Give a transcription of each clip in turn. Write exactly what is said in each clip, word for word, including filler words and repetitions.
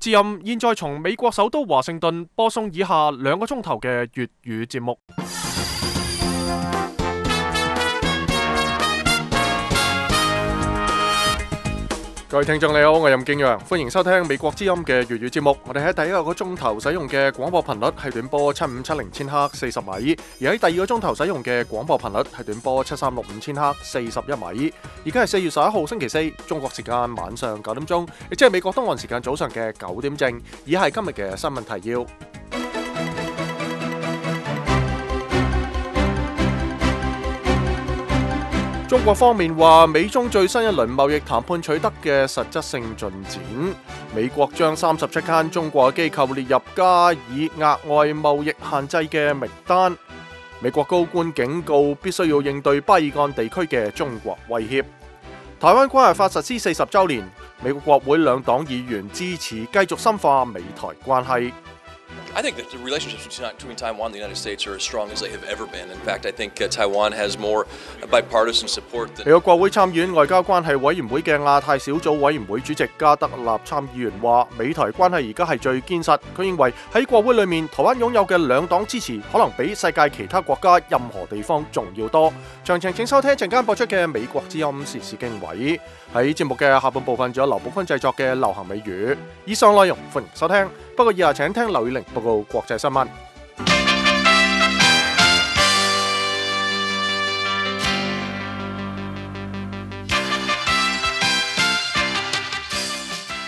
之音現在從美國首都華盛頓播送以下兩個鐘頭嘅粵語節目。各位聽眾你好，我係任敬陽，歡迎收聽美國之音嘅粵語節目。我哋喺第一個鐘頭使用嘅廣播頻率係短波七五七零千赫四十米，而喺第二個鐘頭使用嘅廣播頻率係短波七三六五千赫四十一米。而家係四月十一號星期四，中國時間晚上九點鐘，亦即係美國東岸時間早上嘅九點正。以下係今日嘅新聞提要。中國方面話，美中最新一輪貿易談判取得嘅實質性進展。美國將三十七間中國機構列入加以額外貿易限制嘅名單。美國高官警告，必須要應對巴爾幹地區嘅中國威脅。台灣關係法實施四十週年，美國國會兩黨議員支持繼續深化美台關係。I think that the relationships between Taiwan and the United States are as strong as they have ever been. In fact, I think uh, Taiwan has more bipartisan support than... 美國國會參議院外交關係委員會嘅亞太小組委員會主席加德納參議員話，美台關係而家係最堅實。佢認為喺國會裏面，台灣擁有嘅兩黨支持可能比世界其他國家任何地方仲要多。詳情請收聽陣間播出嘅美國之音時事經緯。喺節目嘅下半部分，仲有劉寶坤製作嘅流行美語。以上內容歡迎收聽。不過以下請聽劉宇玲報告國際新聞。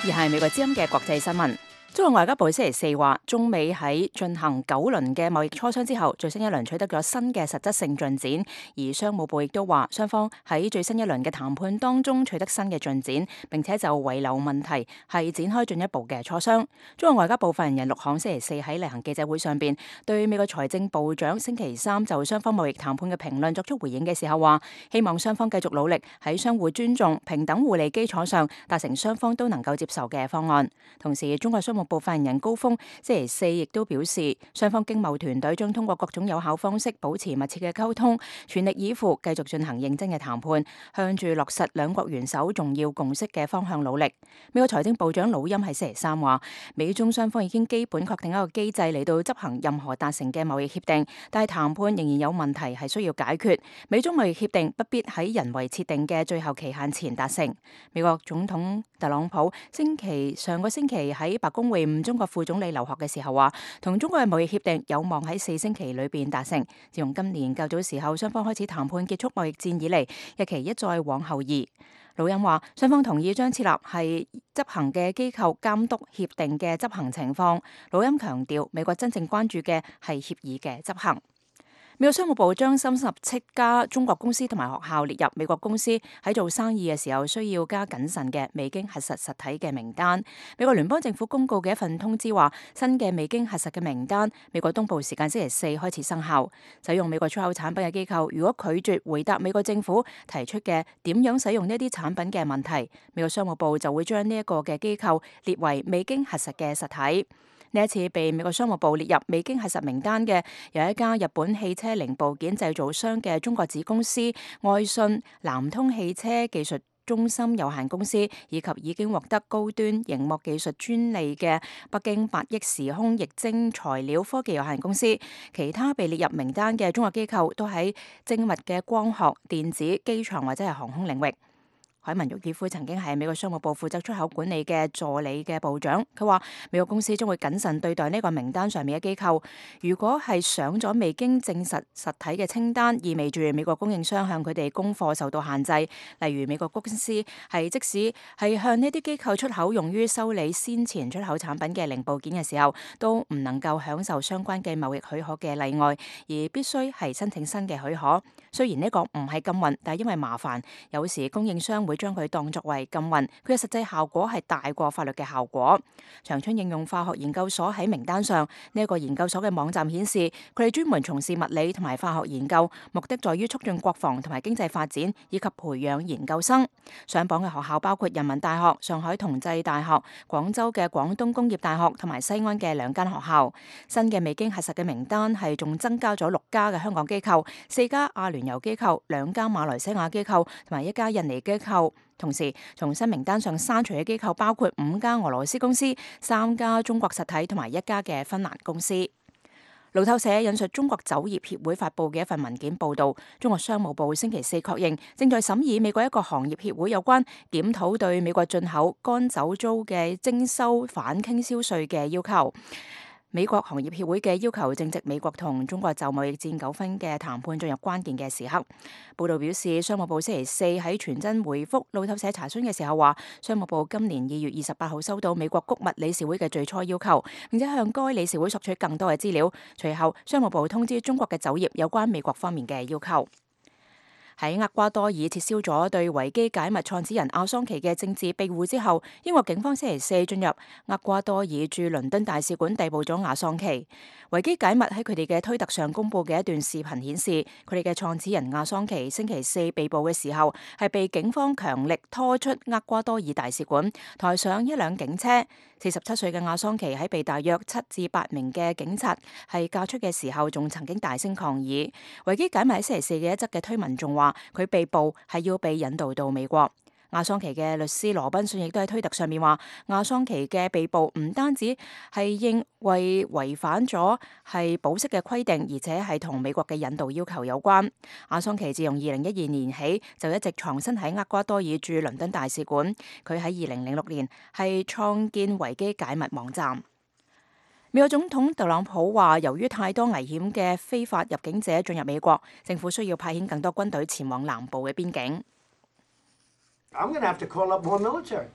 而係美國之音嘅國際新聞。中國外交部星期四話，中美喺進行九輪嘅貿易磋商之後，最新一輪取得咗新嘅實質性進展。而商務部亦都話，雙方喺最新一輪嘅談判當中取得新嘅進展，並且就遺留問題係展開進一步嘅磋商。中國外交部發言人陸慷星期四喺例行記者會上邊，對美國財政部長星期三就雙方貿易談判嘅評論作出回應嘅時候話，希望雙方繼續努力喺相互尊重、平等互利基礎上達成雙方都能夠接受嘅方案。同時，中國商務部發言人高峰星期四亦都表示，雙方經貿團隊將通過各種有效方式保持密切嘅溝通，全力以赴繼續進行認真嘅談判，向住落實兩國元首重要共識嘅方向努力。美國財政部長魯欽喺星期三話，美中雙方已經基本確定一個機制嚟到執行任何達成嘅貿易協定，但係談判仍然有問題係需要解決。美中貿易協定不必喺人為設定嘅最後期限前達成。美國總統特朗普星期上個星期喺白宮會晤中國副總理劉鶴嘅時候話，同中國嘅貿易協定有望喺四星期裏邊達成。自從今年較早時候雙方開始談判結束貿易戰以嚟，日期一再往後移。魯欽話，雙方同意將設立係執行嘅機構監督協定嘅執行情況。魯欽強調，美國真正關注嘅係協議嘅執行。美國商務部將三十七家中國公司同埋學校列入美國公司喺做生意嘅時候需要加謹慎嘅未經核實實體嘅名單。美國聯邦政府公告嘅一份通知話，新嘅未經核實嘅名單，美國東部時間星期四開始生效。使用美國出口產品嘅機構，如果拒絕回答美國政府提出嘅點樣使用呢啲產品嘅問題，美國商務部就會將呢一個嘅機構列為未經核實嘅實體。呢一次被美國商務部列入未經核實名單嘅，有一家日本汽車零部件製造商嘅中國子公司愛信南通汽車技術中心有限公司，以及已經獲得高端螢幕技術專利嘅北京八億時空液晶材料科技有限公司。其他被列入名單嘅中國機構都喺精密嘅光學、電子、機場或者係航空領域。海文沃爾夫曾經係美國商務部負責出口管理嘅助理嘅部長，佢話美國公司將會謹慎對待呢個名單上面嘅機構。如果係上咗未經證實實體嘅清單，意味住美國供應商向佢哋供貨受到限制。例如美國公司係即使係向呢啲機構出口用於修理先前出口產品嘅零部件嘅時候，都唔能夠享受相關嘅貿易許可嘅例外，而必須係申請新嘅許可。雖然呢個唔係禁運，但係因為麻煩，有時供應商會將佢當作為禁運，佢嘅實際效果係大過法律嘅效果。長春應用化學研究所喺名單上，呢一個研究所嘅網站顯示，佢哋專門從事物理同埋化學研究，目的在於促進國防同埋經濟發展，以及培養研究生。上榜嘅學校包括人民大學、上海同濟大學、廣州嘅廣東工業大學同埋西安嘅兩間學校。新嘅未經核實嘅名單係仲增加咗六家嘅香港機構、四家阿聯酋機構、兩家馬來西亞機構同埋一家印尼機構。構。同時，從新名單上刪除嘅機構包括五家俄羅斯公司、三家中國實體同埋一家嘅芬蘭公司。路透社引述中國酒業協會發布嘅一份文件報導，中國商務部星期四確認正在審議美國一個行業協會有關檢討對美國進口乾酒糟嘅徵收反傾銷稅嘅要求。美國行業協會嘅要求正值美國同中國就貿易戰糾紛嘅談判進入關鍵嘅時刻。報道表示，商務部星期四喺傳真回覆路透社查詢嘅時候話，商務部今年二月二十八號收到美國穀物理事會嘅最初要求，並且向該理事會索取更多嘅資料。隨後，商務部通知中國嘅酒業有關美國方面嘅要求。喺厄瓜多爾撤銷咗對維基解密創始人阿桑奇嘅政治庇護之後，英國警方星期四進入厄瓜多爾駐倫敦大使館逮捕咗阿桑奇。維基解密喺佢哋嘅推特上公佈嘅一段視頻顯示，佢哋嘅創始人阿桑奇星期四被捕嘅時候，係被警方強力拖出厄瓜多爾大使館，抬上一輛警車。四十七歲嘅阿桑奇喺被大約七至八名嘅警察係架出嘅時候，仲曾經大聲抗議。維基解密喺星期四嘅一則嘅推文仲話，佢被捕係要被引渡到美國。阿桑奇嘅律師羅賓遜亦都喺推特上面話，阿桑奇嘅被捕唔單止係因為違反咗係保釋嘅規定，而且係同美國嘅引渡要求有關。阿桑奇自從二零一二年起就一直藏身喺厄瓜多爾駐倫敦大使館。佢喺二零零六年係創建維基解密網站。美國總統特朗普話，由於太多危險嘅非法入境者進入美國，政府需要派遣更多軍隊前往南部嘅邊境。I'm going to have to call up more military.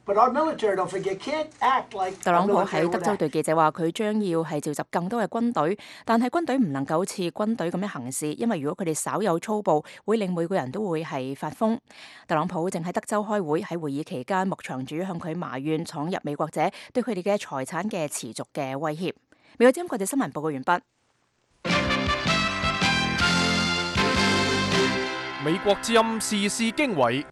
But our military, don't forget, can't act like 特朗普喺德州對記者話，佢將要係召集更多嘅軍隊，但係軍隊唔能夠好似軍隊咁樣行事，因為如果佢哋稍有粗暴，會令每個人都會係發瘋。特朗普正喺德州開會，喺會議期間，牧場主向佢埋怨闖入美國者對佢哋嘅財產嘅持續嘅威脅。美國之音國際新聞報告完畢。美國之音時事經緯，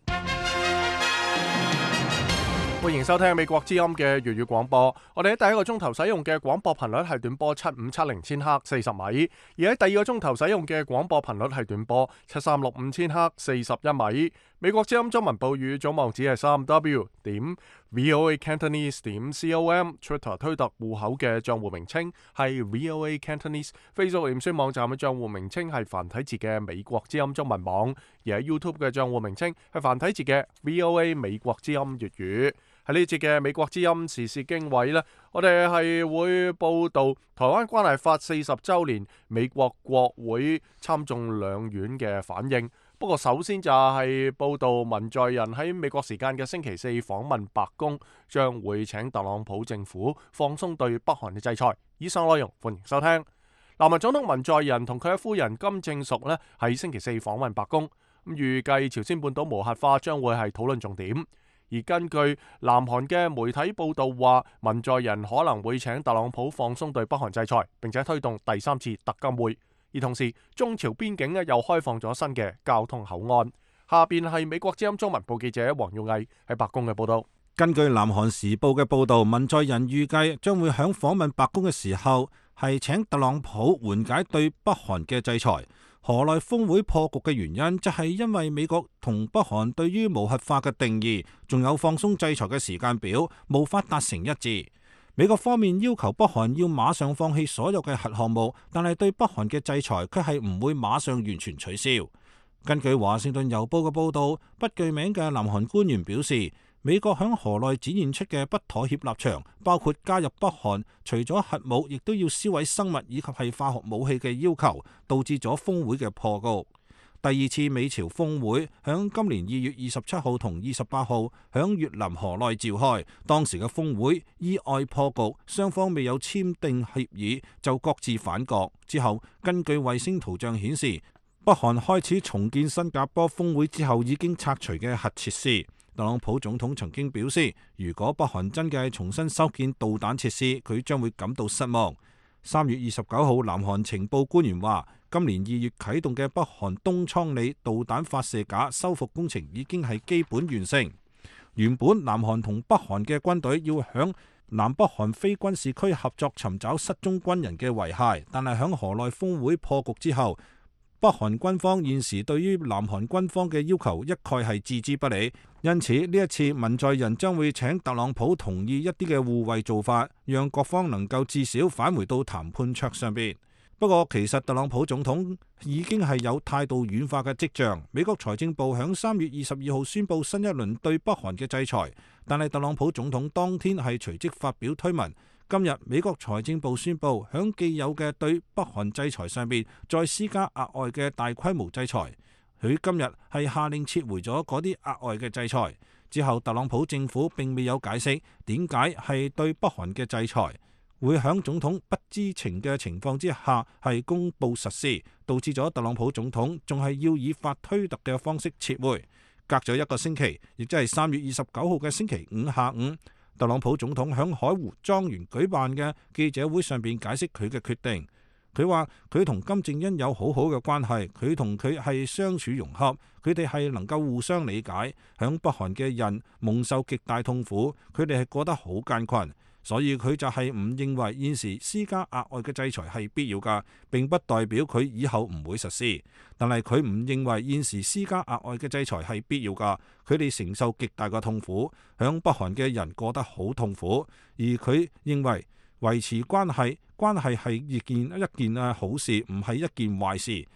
歡迎收聽美國之音嘅粵語廣播。我哋喺第一個鐘頭使用嘅廣播頻率係短波七五七零千赫四十米，而喺第二個鐘頭使用嘅廣播頻率係短波七三六五千赫四十一米。美國之音中文報語總網址係三 w 點 voa cantonese 點 com，Twitter 推特戶口嘅賬戶名稱係 voa cantonese，Facebook 臉書網站嘅賬戶名稱係繁體字嘅美國之音中文網，而喺 YouTube 嘅賬戶名稱係繁體字嘅 voa 美國之音粵語。喺呢節嘅美國之音時事經緯呢，我哋係會報道台灣關係法四十週年，美國國會參眾兩院嘅反應。不過首先就係報道文在寅喺美國時間嘅星期四訪問白宮，將會請特朗普政府放鬆對北韓嘅制裁。以上內容歡迎收聽。南韓總統文在寅同佢嘅夫人金正淑呢喺星期四訪問白宮，咁預計朝鮮半島無核化將會係討論重點。而根據南韓嘅媒體報道話，文在寅可能會請特朗普放鬆對北韓制裁，並且推動第三次特金會。而同時，中朝邊境咧又開放咗新嘅交通口岸。下邊係美國之音中文部記者黃耀毅喺白宮嘅報道。根據南韓時報嘅報道，文在寅預計將會響訪問白宮嘅時候，係請特朗普緩解對北韓嘅制裁。河內峰會破局嘅原因，就係因為美國同北韓對於無核化嘅定義，仲有放鬆制裁嘅時間表，無法達成一致。美國方面要求北韓要馬上放棄所有嘅核項目，但係對北韓嘅制裁卻係唔會馬上完全取消。根據華盛頓郵報嘅報導，不具名嘅南韓官員表示，美國響河內展現出嘅不妥協立場，包括加入北韓除咗核武，亦都要銷毀生物以及係化學武器嘅要求，導致咗峰會嘅破局。第二次美朝峰會響今年二月二十七號同二十八號響越南河內召開，當時嘅峰會意外破局，雙方未有簽訂協議就各自反國。之後根據衛星圖像顯示，北韓開始重建新加坡峰會之後已經拆除嘅核設施。特朗普總統曾經表示，如果北韓真嘅係重新修建導彈設施，佢將會感到失望。三月二十九號，南韓情報官員話，今年二月啟動嘅北韓東倉里導彈發射架修復工程已經係基本完成。原本南韓同北韓嘅軍隊要響南北韓非軍事區合作尋找失蹤軍人嘅遺骸，但係響河內峰會破局之後，北韓軍方現時對於南韓軍方嘅要求一概係置之不理，因此呢一次文在寅將會請特朗普同意一啲嘅互惠做法，讓各方能夠至少返回到談判桌上邊。不過其實特朗普總統已經係有態度軟化嘅跡象。美國財政部響三月二十二號宣布新一輪對北韓嘅制裁，但係特朗普總統當天係隨即發表推文。今日美國財政部宣布響既有嘅對北韓制裁上邊再施加額外嘅大規模制裁。佢今日係下令撤回咗嗰啲額外嘅制裁。之後特朗普政府並未有解釋點解係對北韓嘅制裁會響總統不知情嘅情況之下係公布實施，導致咗特朗普總統仲係要以法推特嘅方式撤回。隔咗一個星期，亦即係三月二十九號嘅星期五下午，特朗普總統響海湖莊園舉辦嘅記者會上邊解釋佢嘅決定。佢話佢同金正恩有好好嘅關係，佢同佢係相處融洽，佢哋係能夠互相理解。響北韓嘅人蒙受極大痛苦，佢哋係過得好艱困。所以佢就係唔認為現時施加額外嘅制裁係必要㗎，並不代表佢以後唔會實施。但係佢唔認為現時施加額外嘅制裁係必要㗎，佢哋承受極大嘅痛苦，響北韓嘅人過得好痛苦。而佢認為維持關係，關係係一件一件啊好事，唔係一件壞事。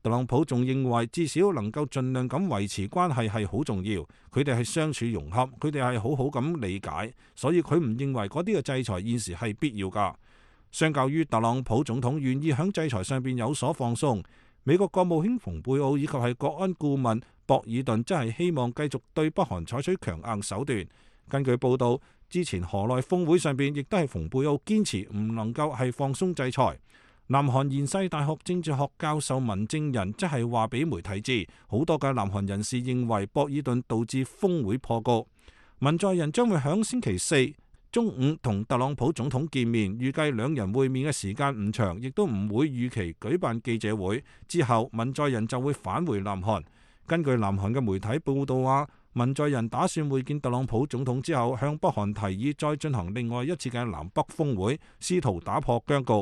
特朗普仲認為至少能夠盡量咁維持關係係好重要，佢哋係相處融洽，佢哋係好好咁理解，所以佢唔認為嗰啲嘅制裁現時係必要㗎。相較於特朗普總統願意喺制裁上邊有所放鬆，美國國務卿蓬佩奧以及係國安顧問博爾頓真係希望繼續對北韓採取強硬手段。根據報道，之前河內峰會上邊亦都係蓬佩奧堅持唔能夠係放鬆制裁。南韓延世大學政治學教授文正仁即係話俾媒體知，好多嘅南韓人士認為博爾頓導致峰會破局。文在寅將會響星期四中午同特朗普總統見面，預計兩人會面嘅時間唔長，亦都唔會預期舉辦記者會。之後文在寅就會返回南韓。根據南韓嘅媒體報道話，文在寅打算會見特朗普總統之後，向北韓提議再進行另外一次嘅南北峰會，試圖打破僵局。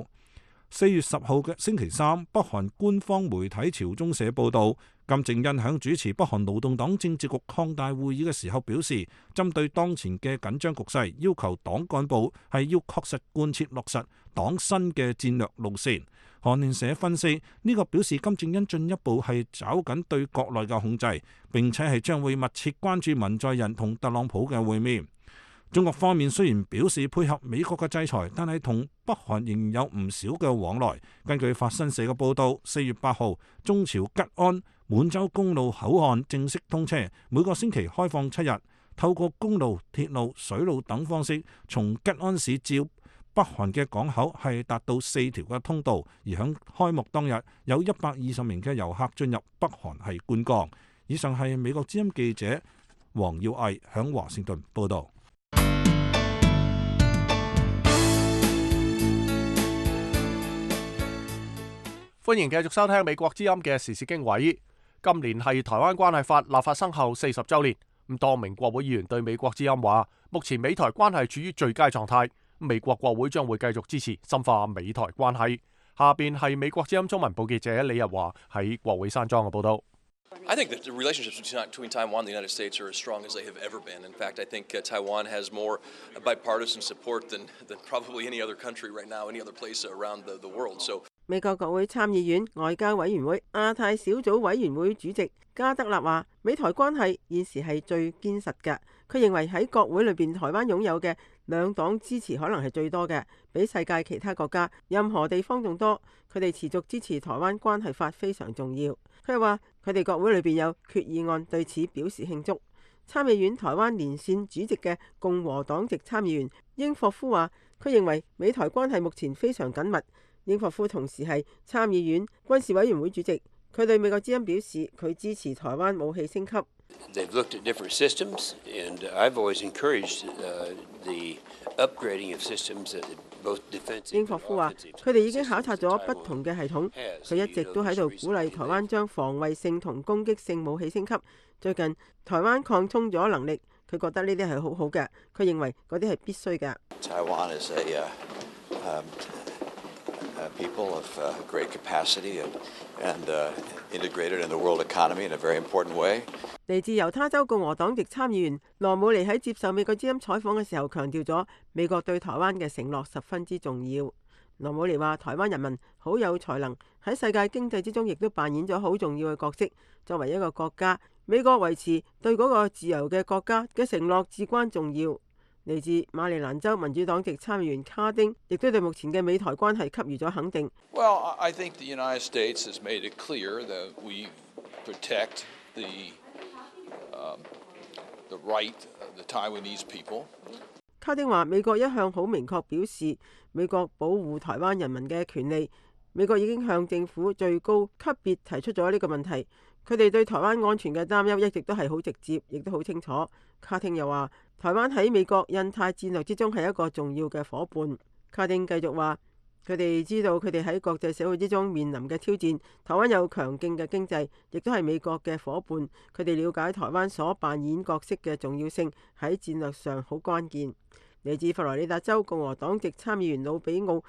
四月十號嘅星期三，北韓官方媒體朝中社報道，金正恩響主持北韓勞動黨政治局擴大會議嘅時候表示，針對當前嘅緊張局勢，要求黨幹部係要確實貫徹落實黨新嘅戰略路線。韓聯社分析，呢、這個表示金正恩進一步係抓緊對國內嘅控制，並且係將會密切關注文在寅同特朗普嘅會面。中國方面雖然表示配合美國嘅制裁，但係同北韓仍然有唔少嘅往來。根據法新社嘅報道，四月八號，中朝吉安滿洲公路口岸正式通車，每個星期開放七日，透過公路、鐵路、水路等方式，從吉安市至北韓嘅港口係達到四條嘅通道。而響開幕當日，有一百二十名嘅遊客進入北韓係觀光。以上係美國之音記者黃耀毅響華盛頓報道。歡迎繼續收聽美國之音嘅時事經緯。今年係台灣關係法立法生後四十週年。咁多名國會議員對美國之音話，目前美台關係處於最佳狀態。美國國會將會繼續支持深化美台關係。下邊係美國之音中文部記者李日華喺國會山莊嘅報道。I think that the relationships between Taiwan and the United States are as strong as they have ever been. In fact, I think uh, Taiwan has more bipartisan support than, than probably any other country right now, any other place around the, the world. So 美國國會參議院外交委員會亞太小組委員會主席加德納話，美台關係現時係最堅實嘅。佢認為喺國會裏邊，台灣擁有嘅兩黨支持可能係最多嘅，比世界其他國家任何地方仲多。佢哋持續支持台灣關係法非常重要。佢話佢哋國會裏邊有決議案對此表示慶祝。參議院台灣連線主席嘅共和黨籍參議員英霍夫話，佢認為美台關係目前非常緊密。英霍夫同時係參議院軍事委員會主席，佢對美國之音表示，佢支持台灣武器升級。They've looked at different systems, and I've always encouraged uh, the upgrading of systems that both defensive. 英霍夫話：佢哋已經考察咗不同嘅系統，佢一直都喺度鼓勵台灣將防衛性同攻擊性武器升級。最近台灣擴充咗能力，佢覺得呢啲係好好嘅，佢認為嗰啲係必須嘅。Taiwan is a uh, um, uh, people of uh, great capacity and, and uh, integrated in the world economy in a very important way. 嚟自猶他州共和黨籍參議員羅姆尼喺接受美國之音採訪嘅時候強調咗，美國對台灣嘅承諾十分之重要。羅姆尼話：台灣人民好有才能，喺世界經濟之中亦都扮演咗好重要嘅角色。作為一個國家，美國維持對嗰個自由嘅國家嘅承諾至關重要。嚟自馬里蘭州民主黨籍參議員卡丁亦都對目前嘅美台關係給予咗肯定。Well, I think the United States has made it clear that we protect the, um, the right of the Taiwanese people. 卡丁話：美國一向好明確表示，美國保護台灣人民嘅權利。美國已經向政府最高級別提出咗呢個問題。佢哋對台灣安全嘅擔憂一直都係好直接，亦都好清楚。卡丁又話：台灣喺美國印太戰略之中係一個重要嘅夥伴。卡丁繼續話：佢哋知道佢哋喺國際社會之中面臨嘅挑戰。台灣有強勁嘅經濟，亦都係美國嘅夥伴。佢哋了解台灣所扮演角色嘅重要性，喺戰略上好關鍵。嚟自佛羅里達州共和黨籍參議員魯比奧，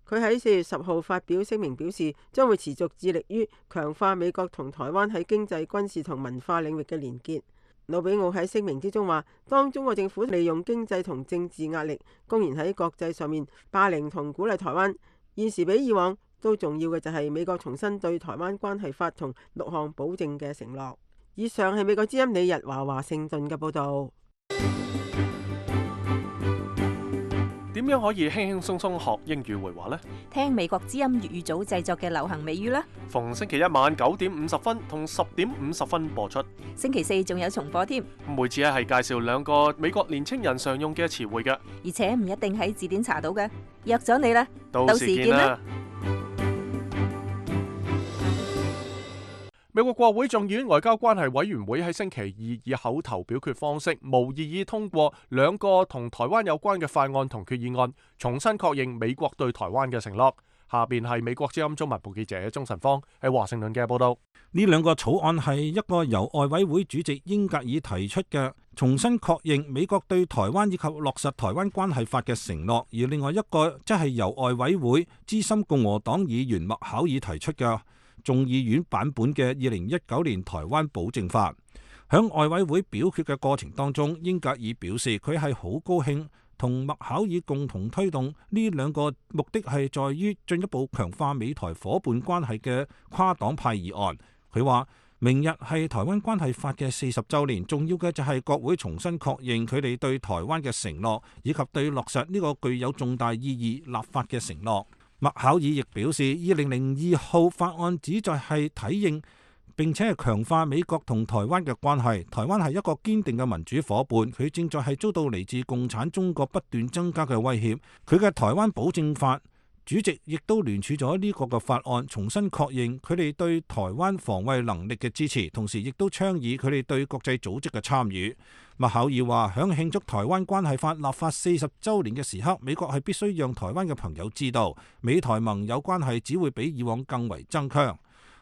佢喺四月十號發表聲明表示，將會持續致力於強化美國同台灣喺經濟、軍事同文化領域嘅連結。魯比奧喺聲明之中話，當中國政府利用經濟同政治壓力，公然喺國際上面霸凌同鼓勵台灣，現時比以往都重要嘅就係美國重新對台灣關係法同六項保證嘅承諾。以上係美國之音李日華華盛頓嘅報導。點樣可以輕輕鬆鬆學英語會話呢？聽美國之音粵語組製作嘅流行美語啦。逢星期一晚九點五十分同十點五十分播出。星期四仲有重播添。每次咧係介紹兩個美國年青人常用嘅詞彙嘅，而且唔一定喺字典查到嘅。約咗你啦，到時見啦。美國國會眾議院外交關係委員會喺星期二以口頭表決方式無異議通過兩個同台灣有關嘅法案同決議案，重新確認美國對台灣嘅承諾。下邊係美國之音中文部記者鍾晨芳喺華盛頓嘅報道。呢兩個草案係一個由外委會主席英格爾提出嘅，重新確認美國對台灣以及落實台灣關係法嘅承諾，而另外一個則係由外委會資深共和黨議員麥考爾提出嘅眾議院版本嘅二零一九年台灣保證法。響外委會表決嘅過程當中，英格爾表示佢係好高興同麥考爾共同推動呢兩個目的係在於進一步強化美台伙伴關係嘅跨黨派議案。佢話明日係台灣關係法嘅四十週年，重要嘅就係國會重新確認佢哋對台灣嘅承諾，以及對落實呢個具有重大意義立法嘅承諾。麥考爾亦表示，二零零二號法案旨在係體認並且係強化美國同台灣嘅關係。台灣係一個堅定嘅民主夥伴，佢正在係遭到嚟自共產中國不斷增加嘅威脅。佢嘅台灣保證法主席亦都聯署咗呢個嘅法案，重新確認佢哋對台灣防衛能力嘅支持，同時亦都倡議佢哋對國際組織嘅參與。麥考爾話，響慶祝台灣關係法立法四十週年嘅時刻，美國係必須讓台灣嘅朋友知道，美台盟友關係只會比以往更為增強。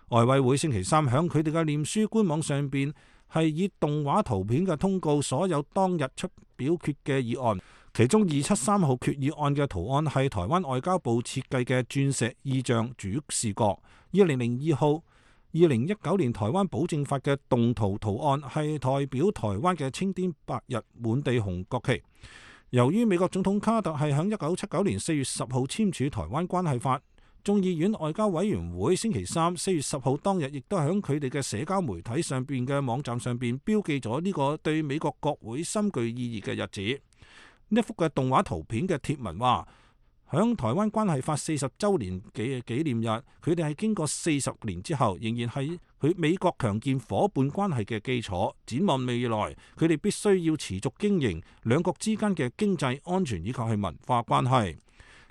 外委會星期三響佢哋嘅臉書官網上邊係以動畫圖片嘅通告所有當日出表決嘅議案，其中二七三號決議案嘅圖案係台灣外交部設計嘅鑽石意象主視覺。二零零二號二零一九年台灣保證法嘅動圖圖案係代表台灣嘅青天白日滿地紅國旗。由於美國總統卡特係響一九七九年四月十號簽署台灣關係法，眾議院外交委員會星期三四月十號當日亦都響佢哋嘅社交媒體上邊嘅網站上邊標記咗呢個對美國國會深具意義嘅日子。呢一幅嘅動畫圖片嘅貼文話，響台灣關係法四十週年嘅紀念日，佢哋係經過四十年之後，仍然係佢美國強健伙伴關係嘅基礎。展望未來，佢哋必須要持續經營兩國之間嘅經濟、安全以及係文化關係。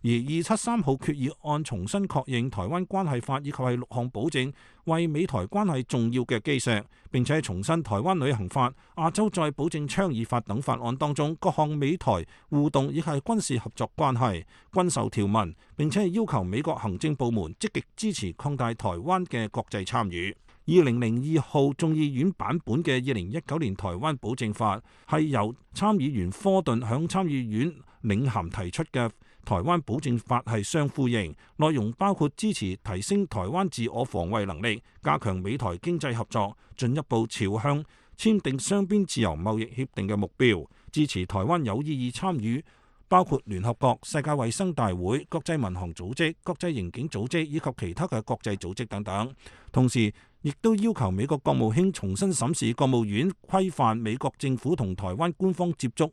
而二七三號決議案重新確認台灣關係法以及係六項保證，為美台關係重要嘅基石。並且重申台灣旅行法、亞洲再保證倡議法等法案當中各項美台互動以及係軍事合作關係均受條文，並且係要求美國行政部門積極支持擴大台灣嘅國際參與。二零零二號眾議院版本嘅二零一九年台灣保證法係由參議員科頓響參議院領銜提出嘅。台灣保證法係相呼應，內容包括支持提升台灣自我防衛能力，加強美台經濟合作，進一步朝向簽訂雙邊自由貿易協定嘅目標，支持台灣有意義參與包括聯合國、世界衛生大會、國際民航組織、國際刑警組織以及其他嘅國際組織等等。同時，亦都要求美國國務卿重新審視國務院規範美國政府同台灣官方接觸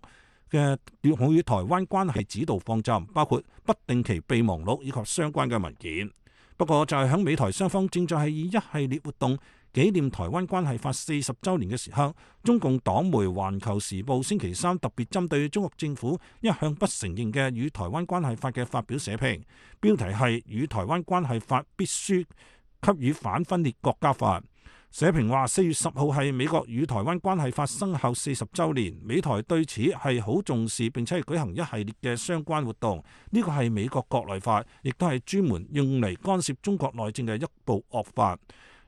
嘅與台灣關係指導方針，包括不定期備忘錄以及相關嘅文件。不過就係響美台雙方正在係以一系列活動紀念台灣關係法四十週年嘅時刻，中共黨媒《環球時報》星期三特別針對中國政府一向不承認嘅與台灣關係法嘅發表社評，標題係與台灣關係法必須給予反分裂國家法。社評話：四月十號係美國與台灣關係法生效四十週年，美台對此係好重視，並且係舉行一系列嘅相關活動。呢個係美國國內法，亦都係專門用嚟干涉中國內政嘅一部惡法。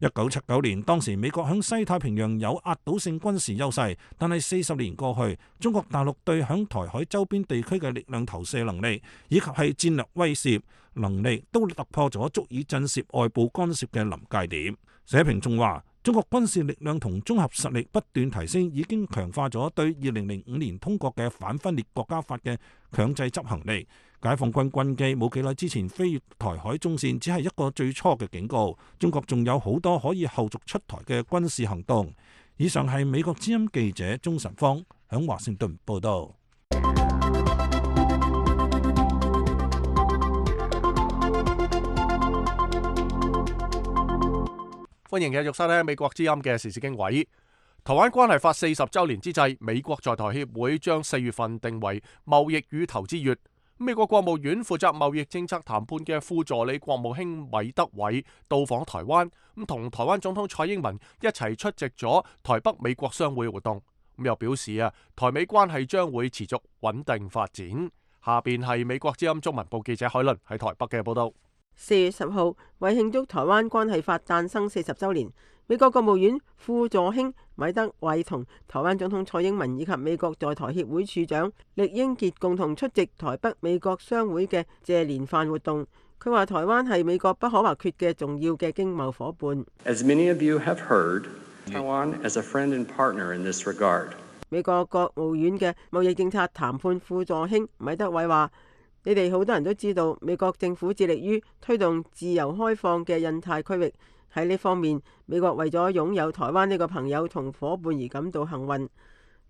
一九七九年，當時美國響西太平洋有壓倒性軍事優勢，但係四十年過去，中國大陸對響台海周邊地區嘅力量投射能力，以及係戰略威懾能力，都突破咗足以震懾外部干涉嘅臨界點。社評仲話：中國軍事力量同綜合實力不斷提升，已經強化咗對二零零五年通過嘅反分裂國家法嘅強制執行力。解放軍軍機冇幾耐之前飛越台海中線，只係一個最初嘅警告。中國仲有好多可以後續出台嘅軍事行動。以上係美國之音記者鍾晨芳響華盛頓報道。歡迎繼續收聽美國之音嘅時事經緯。台灣關係法四十週年之際，美國在台協會將四月份定為貿易與投資月。美國國務院負責貿易政策談判嘅副助理國務卿米德偉到訪台灣，咁同台灣總統蔡英文一齊出席咗台北美國商會活動。咁又表示啊，台美關係將會持續穩定發展。下邊係美國之音中文部記者海倫喺台北嘅報道。四月十號，為慶祝台灣關係法誕生四十週年，美國國務院副助卿米德偉同台灣總統蔡英文以及美國在台協會處長酈英傑共同出席台北美國商會嘅謝年飯活動。佢話台灣係美國不可或缺嘅重要嘅經貿夥伴。As many of you have heard, Taiwan as a friend and partner in this regard. 美國國務院嘅貿易政策談判副助卿米德偉話：你哋好多人都知道，美國政府致力於推動自由開放嘅印太區域。喺呢方面，美國為咗擁有台灣呢個朋友同夥伴而感到幸運。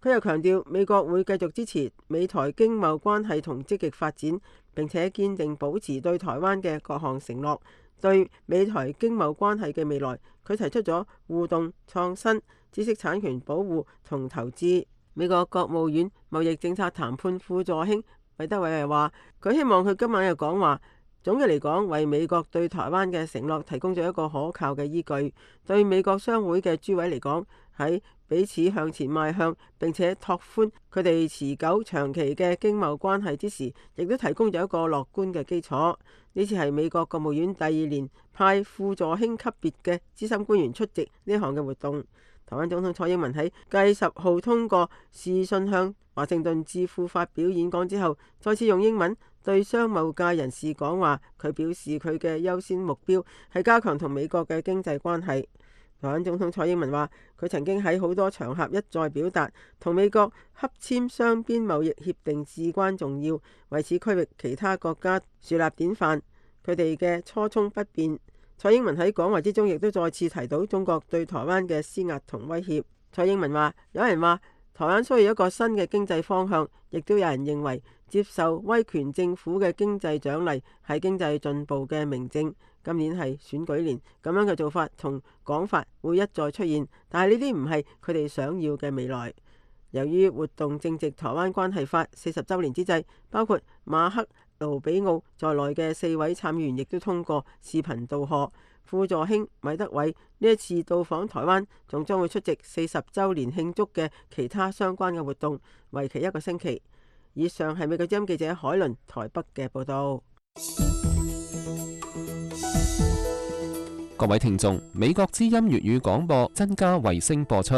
佢又強調，美國會繼續支持美台經貿關係同積極發展，並且堅定保持對台灣嘅各項承諾。對美台經貿關係嘅未來，佢提出咗互動、創新、知識產權保護同投資。美國國務院貿易政策談判副助卿米德偉係話，佢希望佢今晚嘅講話，總嘅嚟講，為美國對台灣嘅承諾提供咗一個可靠嘅依據。對美國商會嘅諸位嚟講，喺彼此向前邁向並且拓寬佢哋持久長期嘅經貿關係之時，亦都提供咗一個樂觀嘅基礎。呢次係美國國務院第二年派副助卿級別嘅資深官員出席呢項嘅活動。台灣總統蔡英文喺繼十號通過視訊向華盛頓智庫發表演講之後，再次用英文對商務界人士講話。佢表示佢嘅優先目標係加強同美國嘅經濟關係。台灣總統蔡英文話：佢曾經喺好多場合一再表達，同美國洽簽雙邊貿易協定至關重要，為此區域其他國家樹立典範。佢哋嘅初衷不變。蔡英文喺講話之中亦都再次提到中國對台灣嘅施壓同威脅。蔡英文話：有人話台灣需要一個新嘅經濟方向，亦都有人認為接受威權政府嘅經濟獎勵係經濟進步嘅明證。今年係選舉年，咁樣嘅做法同講法會一再出現，但係呢啲唔係佢哋想要嘅未來。由於活動正值台灣關係法四十週年之際，包括馬克盧比奧在內嘅四位參議員亦都通過視頻道賀。副助卿米德偉呢一次到訪台灣，仲將會出席四十週年慶祝嘅其他相關嘅活動，為期一個星期。以上係美國之音記者海倫台北嘅報導。各位聽眾，美國之音粵語廣播增加衛星播出，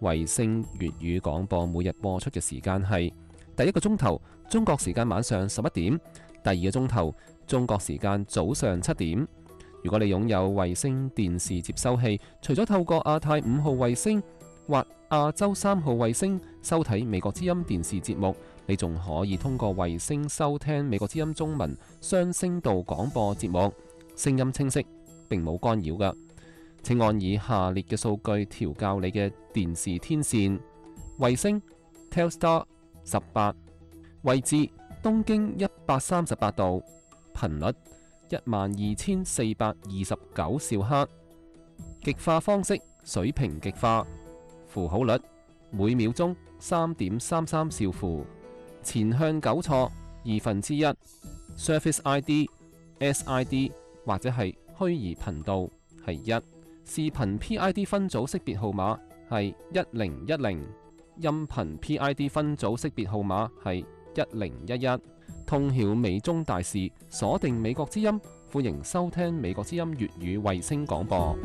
衛星粵語廣播每日播出嘅時間係第一個鐘頭，中國時間晚上十一點。第二個鐘頭中國時間早上七點。如果你擁有衛星電視接收器，除咗透過亞太五號衛星或亞洲三號衛星收睇美國之音電視節目，你仲可以通過衛星收聽美國之音中文雙聲道廣播節目，聲音清晰，並冇干擾㗎。請按以下列嘅數據調校你嘅電視天線：衛星 Telstar 十八，位置東經一百三十八度，頻率一萬二千四百二十九兆赫，極化方式水平極化，符號率每秒鐘三點三三兆符，前向糾錯二分之一 ，Service I D S I D 或者係虛擬頻道係一，視頻 P I D 分組識別號碼係一零一零，音頻 P I D 分組識別號碼係一零一一。通曉美中大事，鎖定美國之音，歡迎收聽美國之音粵語衛星廣播。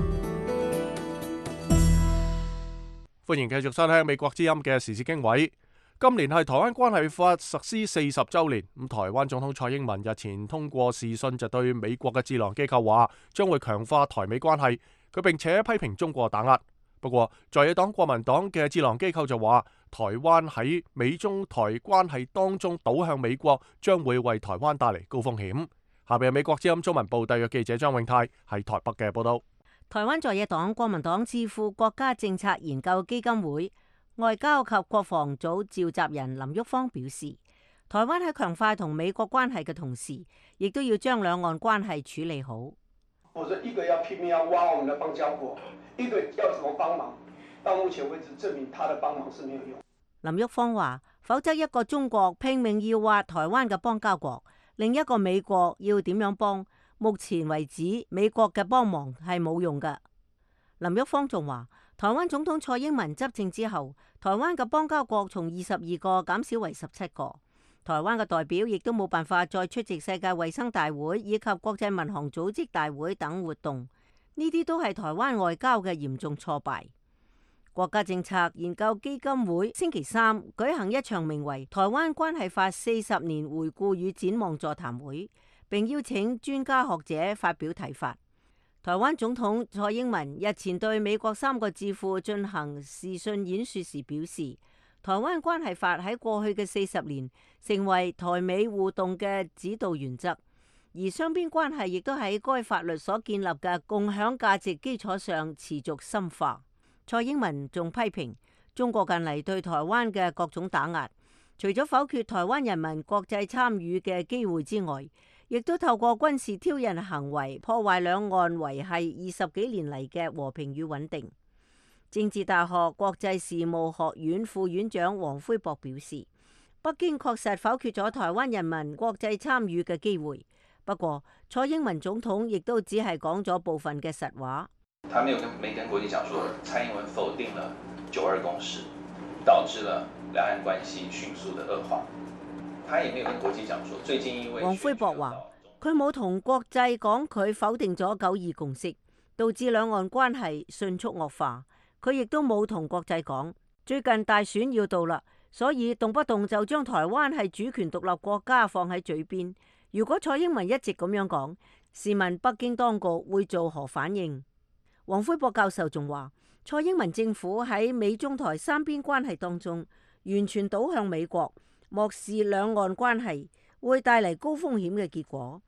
歡迎繼續收聽美國之音嘅時事經緯。今年係台灣關係法實施四十週年，咁台灣總統蔡英文日前通過視訊就對美國嘅智囊機構話，將會強化台美關係。佢並且批評中國打壓。不過，在野黨國民黨嘅智囊機構就話，台灣喺美中台關係當中倒向美國，將會為台灣帶嚟高風險。下邊係美國之音中文部特約記者張永泰喺台北嘅報道。台灣在野黨國民黨智庫國家政策研究基金會外交及國防組召集人林旭芳表示，台灣喺強化同美國關係嘅同時，亦都要將兩岸關係處理好。否則一個要拼命要挖我們的邦交國，一個要怎麼幫忙？到目前為止證明他的幫忙是沒有用。林旭芳話，否則一個中國拼命要挖台灣嘅邦交國，另一個美國要點樣幫？目前為止，美國嘅幫忙係冇用㗎。林旭芳仲話，台灣總統蔡英文執政之後，台灣嘅邦交國從二十二個減少為十七個。台灣嘅代表亦都冇辦法再出席世界衛生大會以及國際民航組織大會等活動，呢啲都係台灣外交嘅嚴重挫敗。國家政策研究基金會星期三舉行一場名為《台灣關係法四十年回顧與展望》座談會，並邀請專家學者發表睇法。台灣總統蔡英文日前對美國三個智庫進行視訊演說時表示，台灣關係法喺過去嘅四十年成為台美互動嘅指導原則，而雙邊關係亦都喺該法律所建立嘅共享價值基礎上持續深化。蔡英文仲批評中國近嚟對台灣嘅各種打壓，除咗否決台灣人民國際參與嘅機會之外，亦都透過軍事挑釁行為破壞兩岸維繫二十幾年嚟嘅和平與穩定。政治大學國際事務學院副院長黃輝博表示，北京確實否決咗台灣人民國際參與嘅機會，不過蔡英文總統亦都只係講咗部分嘅實話。他沒有跟沒跟國際講說，蔡英文否定了九二共識，導致了兩岸關係迅速的惡化。他也沒有跟國際講說，最近因為黃輝博話，佢冇同國際講佢否定咗九二共識，導致兩岸關係迅速惡化。佢亦都冇同國際講，最近大選要到啦，所以動不動就將台灣係主權獨立國家放喺嘴邊。如果蔡英文一直咁樣講，試問北京當局會做何反應？黃輝博教授仲話，蔡英文政府喺美中台三邊關係當中完全倒向美國，漠視兩岸關係，會帶嚟高風險嘅結果，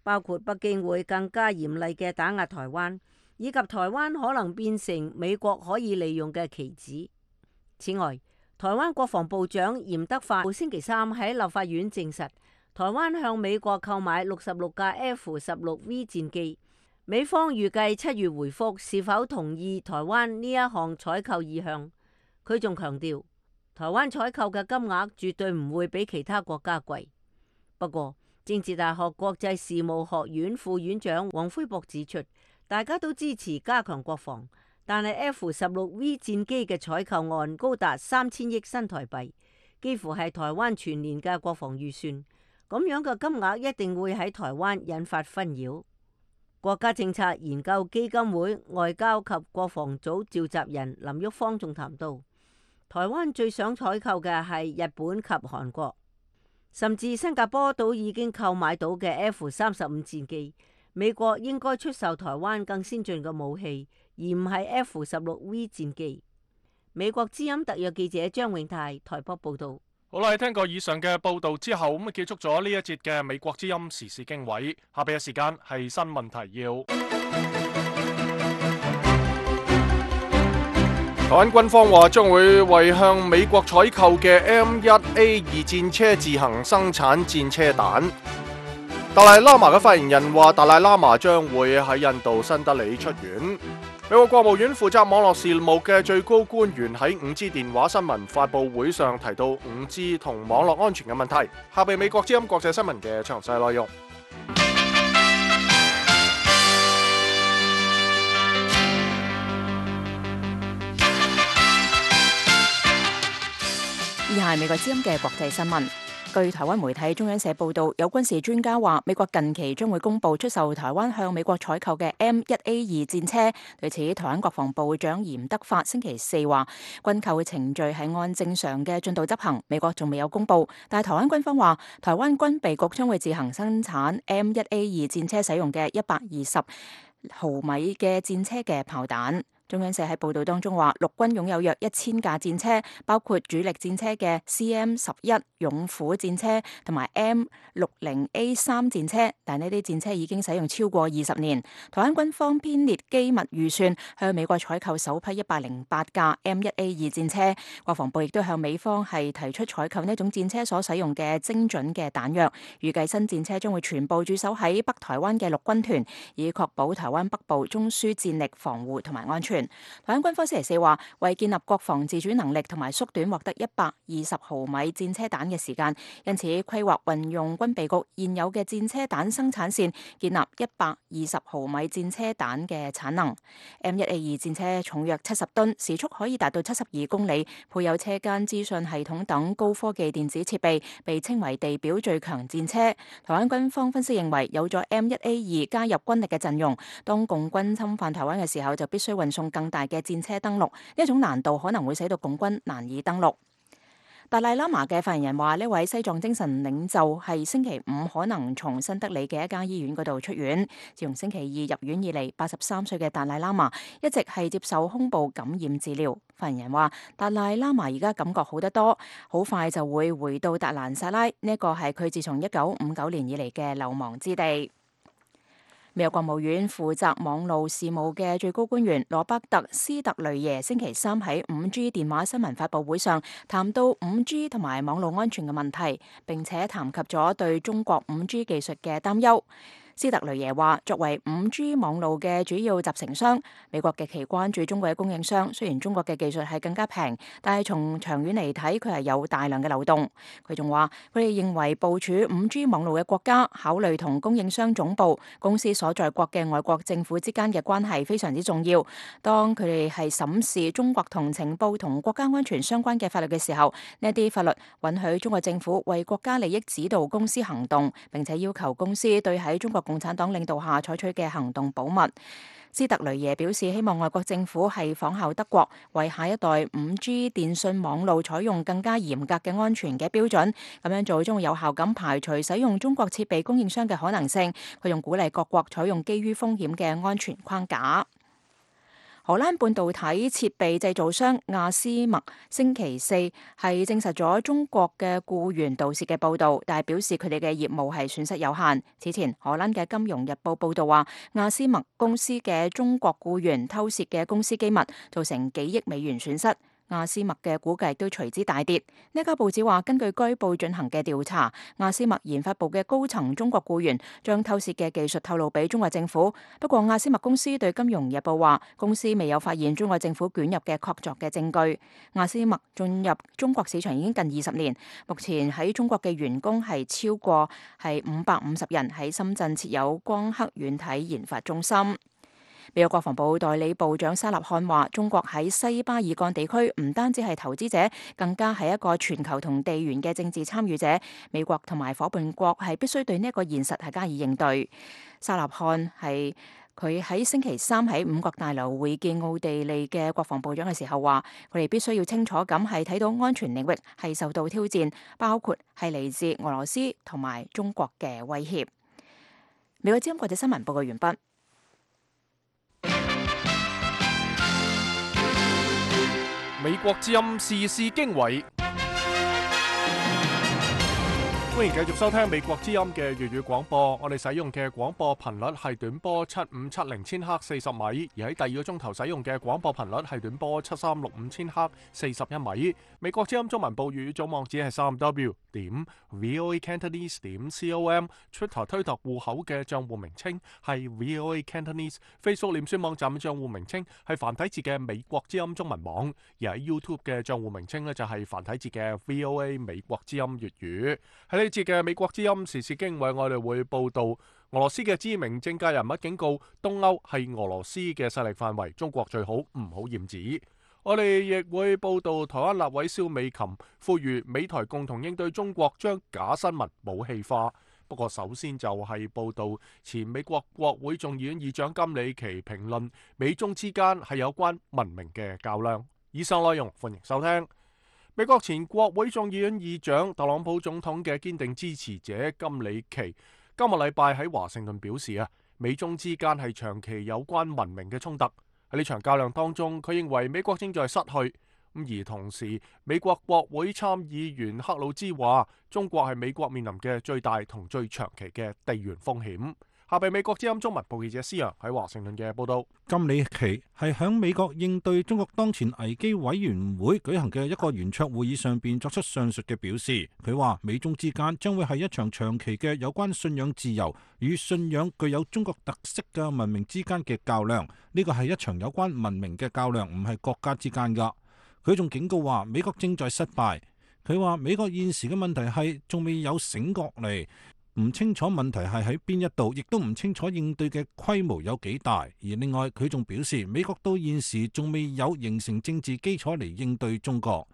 包括北京會更加嚴厲嘅打壓台灣，以及台灣可能變成美國可以利用嘅棋子。此外，台灣國防部長嚴德發星期三喺立法院證實，台灣向美國購買六十六架 F 十六 V 戰機。美方預計七月回覆是否同意台灣呢一項採購意向。佢仲強調，台灣採購嘅金額絕對唔會比其他國家貴。不過，政治大學國際事務學院副院長黃輝博指出，大家都支持加強國防，但係 F 十六 V 戰機嘅採購案高達三千億新台幣，幾乎係台灣全年嘅國防預算。咁樣嘅金額一定會喺台灣引發紛擾。國家政策研究基金會外交及國防組召集人林旭芳仲談到，台灣最想採購嘅係日本及韓國。甚至新加坡都已經購買到嘅 F 三十五戰機。美國應該出售台灣更先進嘅武器，而唔係 F 十六 V 戰機。美國之音特約記者張永泰台北報道。好啦，聽過以上嘅報道之後，咁結束咗呢一節嘅美國之音時事經緯。下邊嘅時間係新聞提要。台灣軍方話將會為向美國採購嘅 M 一 A 二戰車自行生產戰車彈。達賴喇嘛嘅發言人話，達賴喇嘛將會喺印度新德里出院。美國國務院負責網絡事務嘅最高官員喺 五 G 電話新聞發佈會上提到 五 G 同網絡安全嘅問題。下邊美國之音國際新聞嘅詳細內容。以下係美國之音嘅國際新聞。據台灣媒體中央社報道，有軍事專家話，美國近期將會公布出售台灣向美國採購嘅 M 一 A 二戰車。對此，台灣國防部長嚴德發星期四話，軍購嘅程序係按正常嘅進度執行，美國仲未有公布。但係台灣軍方話，台灣軍備局將會自行生產 M 一 A 二戰車使用嘅一百二十毫米嘅戰車嘅炮彈。中央社喺報道當中話，陸軍擁有約一千架戰車，包括主力戰車嘅 C M 十一勇虎戰車同埋 M 六十 A 三戰車，但呢啲戰車已經使用超過二十年。台灣軍方編列機密預算，向美國採購首批一百零八架 M 一 A 二戰車。國防部亦都向美方係提出採購呢種戰車所使用嘅精準嘅彈藥。預計新戰車將會全部駐守喺北台灣嘅陸軍團，以確保台灣北部中樞戰力防護同埋安全。台灣軍方星期四話，為建立國防自主能力同埋縮短獲得一百二十毫米戰車彈嘅時間，因此規劃運用軍備局現有嘅戰車彈生產線，建立一百二十毫米戰車彈嘅產能。M 一 A 二戰車重約七十噸，時速可以達到七十二公里，配有車間資訊系統等高科技電子設備，被稱為地表最強戰車。台灣軍方分析認為，有咗 M 一 A 二加入軍力嘅陣容，當共軍侵犯台灣嘅時候，就必須運送更大嘅戰車登陸，呢一種難度可能會使到共軍難以登陸。達賴喇嘛嘅發言人話，呢位西藏精神領袖係星期五可能從新德里嘅一家醫院嗰度出院。自從星期二入院以嚟，八十三歲嘅達賴喇嘛一直係接受胸部感染治療。發言人話，達賴喇嘛而家感覺好得多，好快就會回到達蘭薩拉，呢一個係佢自從一九五九年以嚟嘅流亡之地。美國國務院負責網路事務嘅最高官員羅伯特斯特雷耶星期三喺 五 G 電話新聞發佈會上談到 五 G 同埋網路安全嘅問題，並且談及咗對中國 五 G 技術嘅擔憂。斯特雷耶話，作為 五 G 網路嘅主要集成商，美國極其關注中國嘅供應商。雖然中國嘅技術係更加平，但係從長遠嚟睇，佢係有大量嘅漏洞。佢仲話，佢哋認為部署 五 G 網路嘅國家考慮同供應商總部、公司所在國嘅外國政府之間嘅關係非常之重要。當佢哋係審視中國同情報同國家安全相關嘅法律嘅時候，呢啲法律允許中國政府為國家利益指導公司行動，並且要求公司對喺中國共產黨領導下採取嘅行動保密。斯特雷耶表示，希望外國政府係仿效德國，為下一代 五 G 電信網路採用更加嚴格嘅安全嘅標準。咁樣做將會有效咁排除使用中國設備供應商嘅可能性。佢仲鼓勵各國採用基於風險嘅安全框架。荷蘭半導體設備製造商亞斯麥星期四係證實咗中國嘅僱員盜竊嘅報導，但係表示佢哋嘅業務係損失有限。此前，荷蘭嘅《金融日報》報導話，亞斯麥公司嘅中國僱員偷竊嘅公司機密，造成幾億美元損失。亞斯麥嘅股價都隨之大跌。呢家報紙話，根據該報進行嘅調查，亞斯麥研發部嘅高層中國僱員將偷竊嘅技術透露俾中國政府。不過，亞斯麥公司對《金融日報》話，公司未有發現中國政府捲入嘅確鑿嘅證據。亞斯麥進入中國市場已經近二十年，目前喺中國嘅員工係超過係五百五十人，喺深圳設有光刻軟體研發中心。美國國防部代理部長沙納漢話，中國喺西巴爾幹地區唔單止係投資者，更加係一個全球同地緣嘅政治參與者。美國同埋夥伴國係必須對呢一個現實係加以應對。沙納漢係佢喺星期三喺五角大樓會見奧地利嘅國防部長嘅時候話，佢哋必須要清楚咁係睇到安全領域係受到挑戰，包括係嚟自俄羅斯同埋中國嘅威脅。美國之音國際新聞報告完畢。美國之音時事經緯。歡迎繼續收聽美國之音嘅粵語廣播，我哋使用嘅廣播頻率係短波七五七零千赫四十米，而喺第二個鐘頭使用嘅廣播頻率係短波七三六五千赫四十一米。美國之音中文部粵語總網址係三 w 點 voa cantonese 點 com，Twitter 推特戶口嘅賬戶名稱係 voa cantonese，Facebook 臉書網站嘅賬戶名稱係繁體字嘅美國之音中文網，而喺 YouTube 嘅賬戶名稱呢，就係繁體字嘅 voa 美國之音粵語。喺呢節嘅美國之音時事經緯，我哋會報道俄羅斯嘅知名政界人物警告東歐係俄羅斯嘅勢力範圍，中國最好唔好染指。我哋亦會報道台灣立委蕭美琴呼籲美台共同應對中國將假新聞武器化。不過首先就係報道前美國國會眾議院議長金里奇評論美中之間係有關文明嘅較量。以上內容歡迎收聽。美國前國會眾議院議長特朗普總統嘅堅定支持者金里奇今日禮拜喺華盛頓表示啊，美中之間係長期有關文明嘅衝突。喺呢場較量當中，佢認為美國正在失去。咁而同時，美國國會參議員克魯茲話，中國係美國面臨嘅最大同最長期嘅地緣風險。下邊美國之音中文部記者施洋喺華盛頓嘅報道。金里奇係響美國應對中國當前危機委員會舉行嘅一個圓桌會議上邊作出上述嘅表示。佢話美中之間將會係一場長期嘅有關信仰自由與信仰具有中國特色嘅文明之間嘅較量。呢個係一場有關文明嘅較量，唔係國家之間噶。佢仲警告話美國正在失敗。佢話美國現時嘅問題係仲未有醒覺嚟。唔清楚問題係喺邊一度，亦都唔清楚應對嘅規模有幾大。而另外，佢仲表示，美國到現時仲未有形成政治基礎嚟應對中國。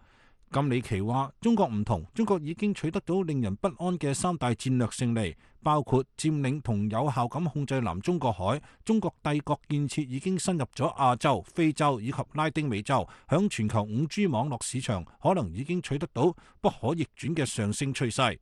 金里奇話：中國唔同，中國已經取得到令人不安嘅三大戰略勝利，包括佔領同有效咁控制南中國海，中國帝國建設已經深入咗亞洲、非洲以及拉丁美洲，響全球五 G 網絡市場可能已經取得到不可逆轉嘅上升趨勢。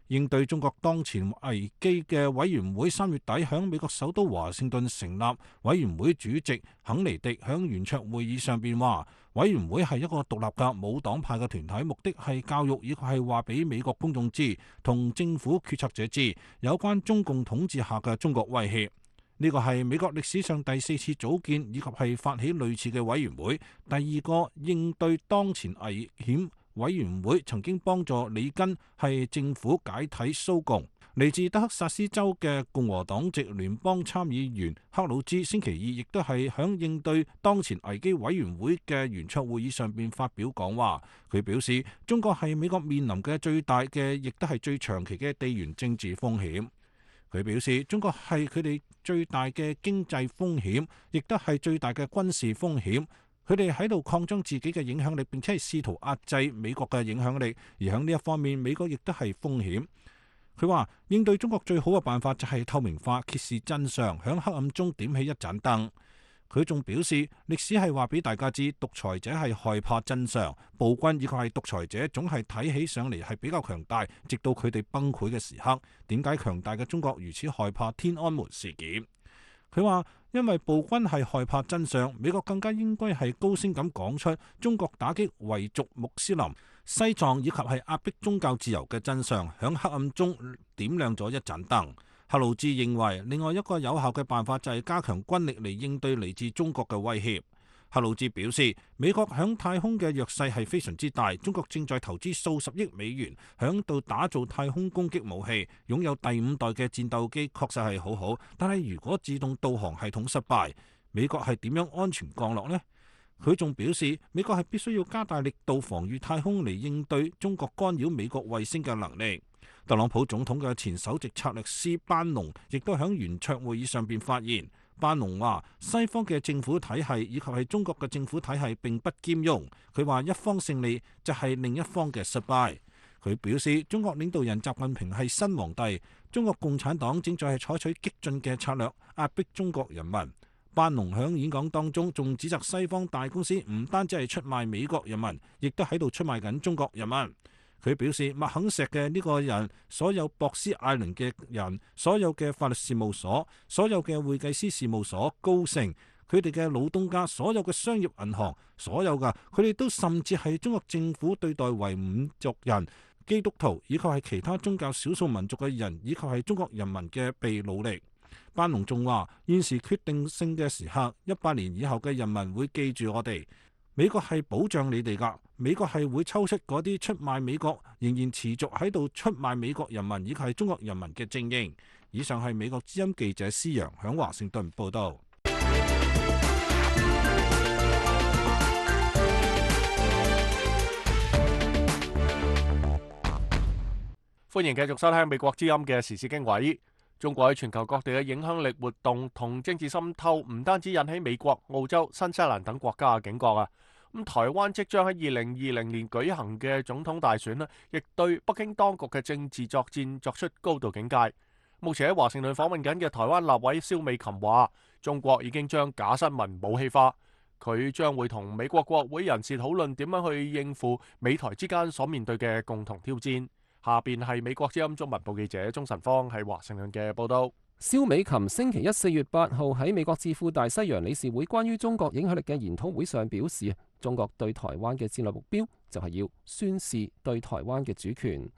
應對中國當前危機嘅委員會三月底響美國首都華盛頓成立，委員會主席肯尼迪響圓桌會議上邊話，委員會係一個獨立嘅冇黨派嘅團體，目的係教育以及係話俾美國公眾知，同政府決策者知有關中共統治下嘅中國威脅。呢個係美國歷史上第四次組建以及係發起類似嘅委員會，第二個應對當前危險委員會曾經幫助里根係政府解體蘇共。嚟自德克薩斯州嘅共和黨籍聯邦參議員克魯茲星期二亦都係響應對當前危機委員會嘅圓桌會議上邊發表講話。佢表示，中國係美國面臨嘅最大嘅，亦都係最長期嘅地緣政治風險。佢表示，中國係佢哋最大嘅經濟風險，亦都係最大嘅軍事風險。佢哋喺度擴張自己嘅影響力，並且係試圖壓制美國嘅影響力，而喺呢一方面，美國亦都係風險。佢話應對中國最好嘅辦法就係透明化、揭示真相，喺黑暗中點起一盞燈。佢仲表示，歷史係話俾大家知，獨裁者係害怕真相，暴君以及係獨裁者總係睇起上嚟係比較強大，直到佢哋崩潰嘅時刻。點解強大嘅中國如此害怕天安門事件？佢話因為暴君係害怕真相，美國更加應該係高聲咁講出中國打擊維族穆斯林、西藏以及係壓迫宗教自由嘅真相，響黑暗中點亮咗一盞燈。克魯茲認為，另外一個有效嘅辦法就係加強軍力嚟應對嚟自中國嘅威脅。克魯茲表示，美國響太空嘅弱勢係非常之大，中國正在投資數十億美元響度打造太空攻擊武器，擁有第五代嘅戰鬥機確實係好好，但係如果自動導航系統失敗，美國係點樣安全降落呢？佢仲表示，美國係必須要加大力度防禦太空嚟應對中國干擾美國衛星嘅能力。特朗普總統嘅前首席策略師班農亦都響圓桌會議上邊發言。班農話：西方嘅政府體系以及係中國嘅政府體系並不兼容。佢話一方勝利就係另一方嘅失敗。佢表示，中國領導人習近平係新皇帝，中國共產黨正在係採取激進嘅策略壓迫中國人民。班農響演講當中仲指責西方大公司唔單止係出賣美國人民，亦都喺度出賣緊中國人民。佢表示，麥肯錫嘅呢個人，所有博斯艾倫嘅人，所有嘅法律事務所，所有嘅會計師事務所、高盛，佢哋嘅老東家，所有嘅商業銀行，所有噶，佢哋都甚至係中國政府對待維吾族人、基督徒以及係其他宗教少數民族嘅人，以及係中國人民嘅被努力。班農仲話：現時決定性嘅時刻，一百年以後嘅人民會記住我哋。美國係保障你哋㗎，美國係會抽出嗰啲出賣美國、仍然持續喺度出賣美國人民以及係中國人民嘅精英。以上係美國之音記者施陽響華盛頓報導。歡迎繼續收聽美國之音嘅時事經緯。中國喺全球各地嘅影響力活動同政治滲透，唔單止引起美國、澳洲、新西蘭等國家嘅警覺啊！咁台灣即將喺二零二零年舉行嘅總統大選呢，亦對北京當局嘅政治作戰作出高度警戒。目前喺華盛頓訪問緊嘅台灣立委蕭美琴話，中國已經將假新聞武器化，佢將會同美國國會人士討論點樣去應付美台之間所面對嘅共同挑戰。下邊係美國之音中文部記者鍾晨芳喺華盛頓嘅報道。蕭美琴星期一四月八號喺美國智庫大西洋理事會關於中國影響力嘅研討會上表示，中國對台灣嘅戰略目標就係要宣示對台灣嘅主權。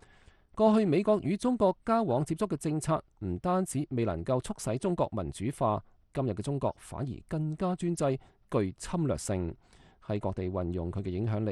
過去美國與中國交往接觸嘅政策唔單止未能夠促使中國民主化，今日嘅中國反而更加專制、具侵略性，喺各地運用佢嘅影響力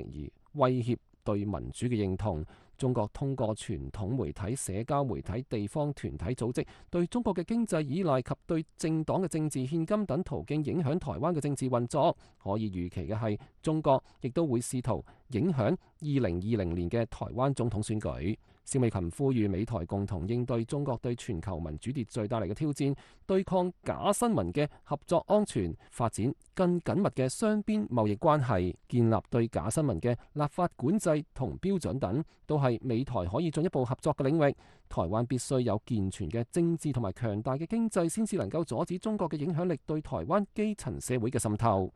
而威脅對民主嘅認同。中國通過傳統媒體、社交媒體、地方團體組織對中國嘅經濟依賴及對政黨嘅政治獻金等途徑影響台灣嘅政治運作。可以預期嘅係，中國亦都會試圖影響二零二零年嘅台灣總統選舉。蕭美琴呼籲美台共同應對中國對全球民主秩序帶嚟嘅挑戰，對抗假新聞嘅合作安全，發展更緊密嘅雙邊貿易關係，建立對假新聞嘅立法管制同標準等，都係美台可以進一步合作嘅領域。台灣必須有健全嘅政治同埋強大嘅經濟，先至能夠阻止中國嘅影響力對台灣基層社會嘅滲透。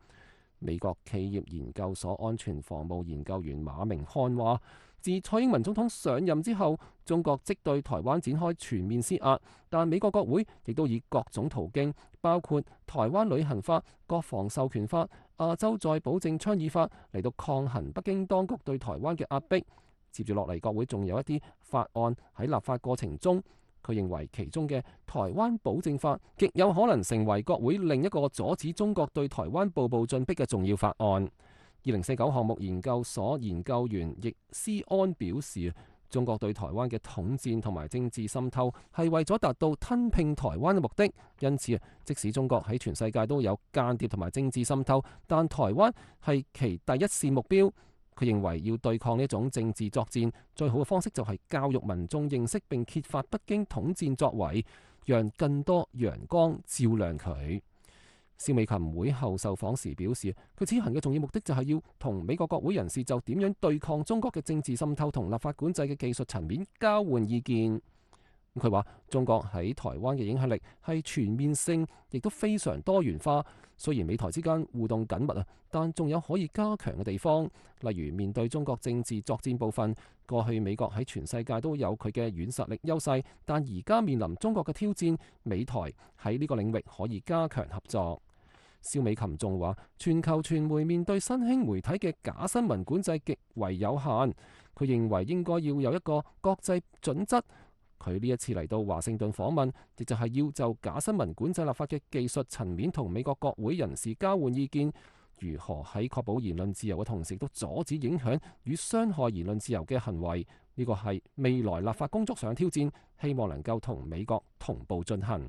美國企業研究所安全防務研究員馬明漢話，自蔡英文總統上任之後，中國即對台灣展開全面施壓，但美國國會亦都以各種途徑，包括台灣旅行法、國防授權法、亞洲再保證倡議法嚟到抗衡北京當局對台灣嘅壓迫。接住落嚟，國會仲有一啲法案喺立法過程中。佢認為其中嘅台灣保證法極有可能成為國會另一個阻止中國對台灣步步進逼嘅重要法案。二零四九項目研究所研究員易思安表示，中國對台灣嘅統戰同埋政治滲透係為咗達到吞併台灣嘅目的，因此即使中國喺全世界都有間諜同埋政治滲透，但台灣係其第一線目標。佢認為要對抗呢種政治作戰，最好嘅方式就係教育民眾認識並揭發北京統戰作為，讓更多陽光照亮佢。蕭美琴會後受訪時表示，佢此行嘅重要目的就係要同美國國會人士就點樣對抗中國嘅政治滲透同立法管制嘅技術層面交換意見。佢話中國喺台灣嘅影響力係全面性，亦都非常多元化。雖然美台之間互動緊密啊，但仲有可以加強嘅地方。例如面對中國政治作戰部分，過去美國喺全世界都有佢嘅軟實力優勢，但而家面臨中國嘅挑戰，美台喺呢個領域可以加強合作。蕭美琴仲話，全球傳媒面對新興媒體嘅假新聞管制極為有限，佢認為應該要有一個國際準則。佢呢一次嚟到華盛頓訪問，亦就係要就假新聞管制立法嘅技術層面同美國國會人士交換意見，如何喺確保言論自由嘅同時，都阻止影響與傷害言論自由嘅行為。呢個係未來立法工作上嘅挑戰，希望能夠同美國同步進行。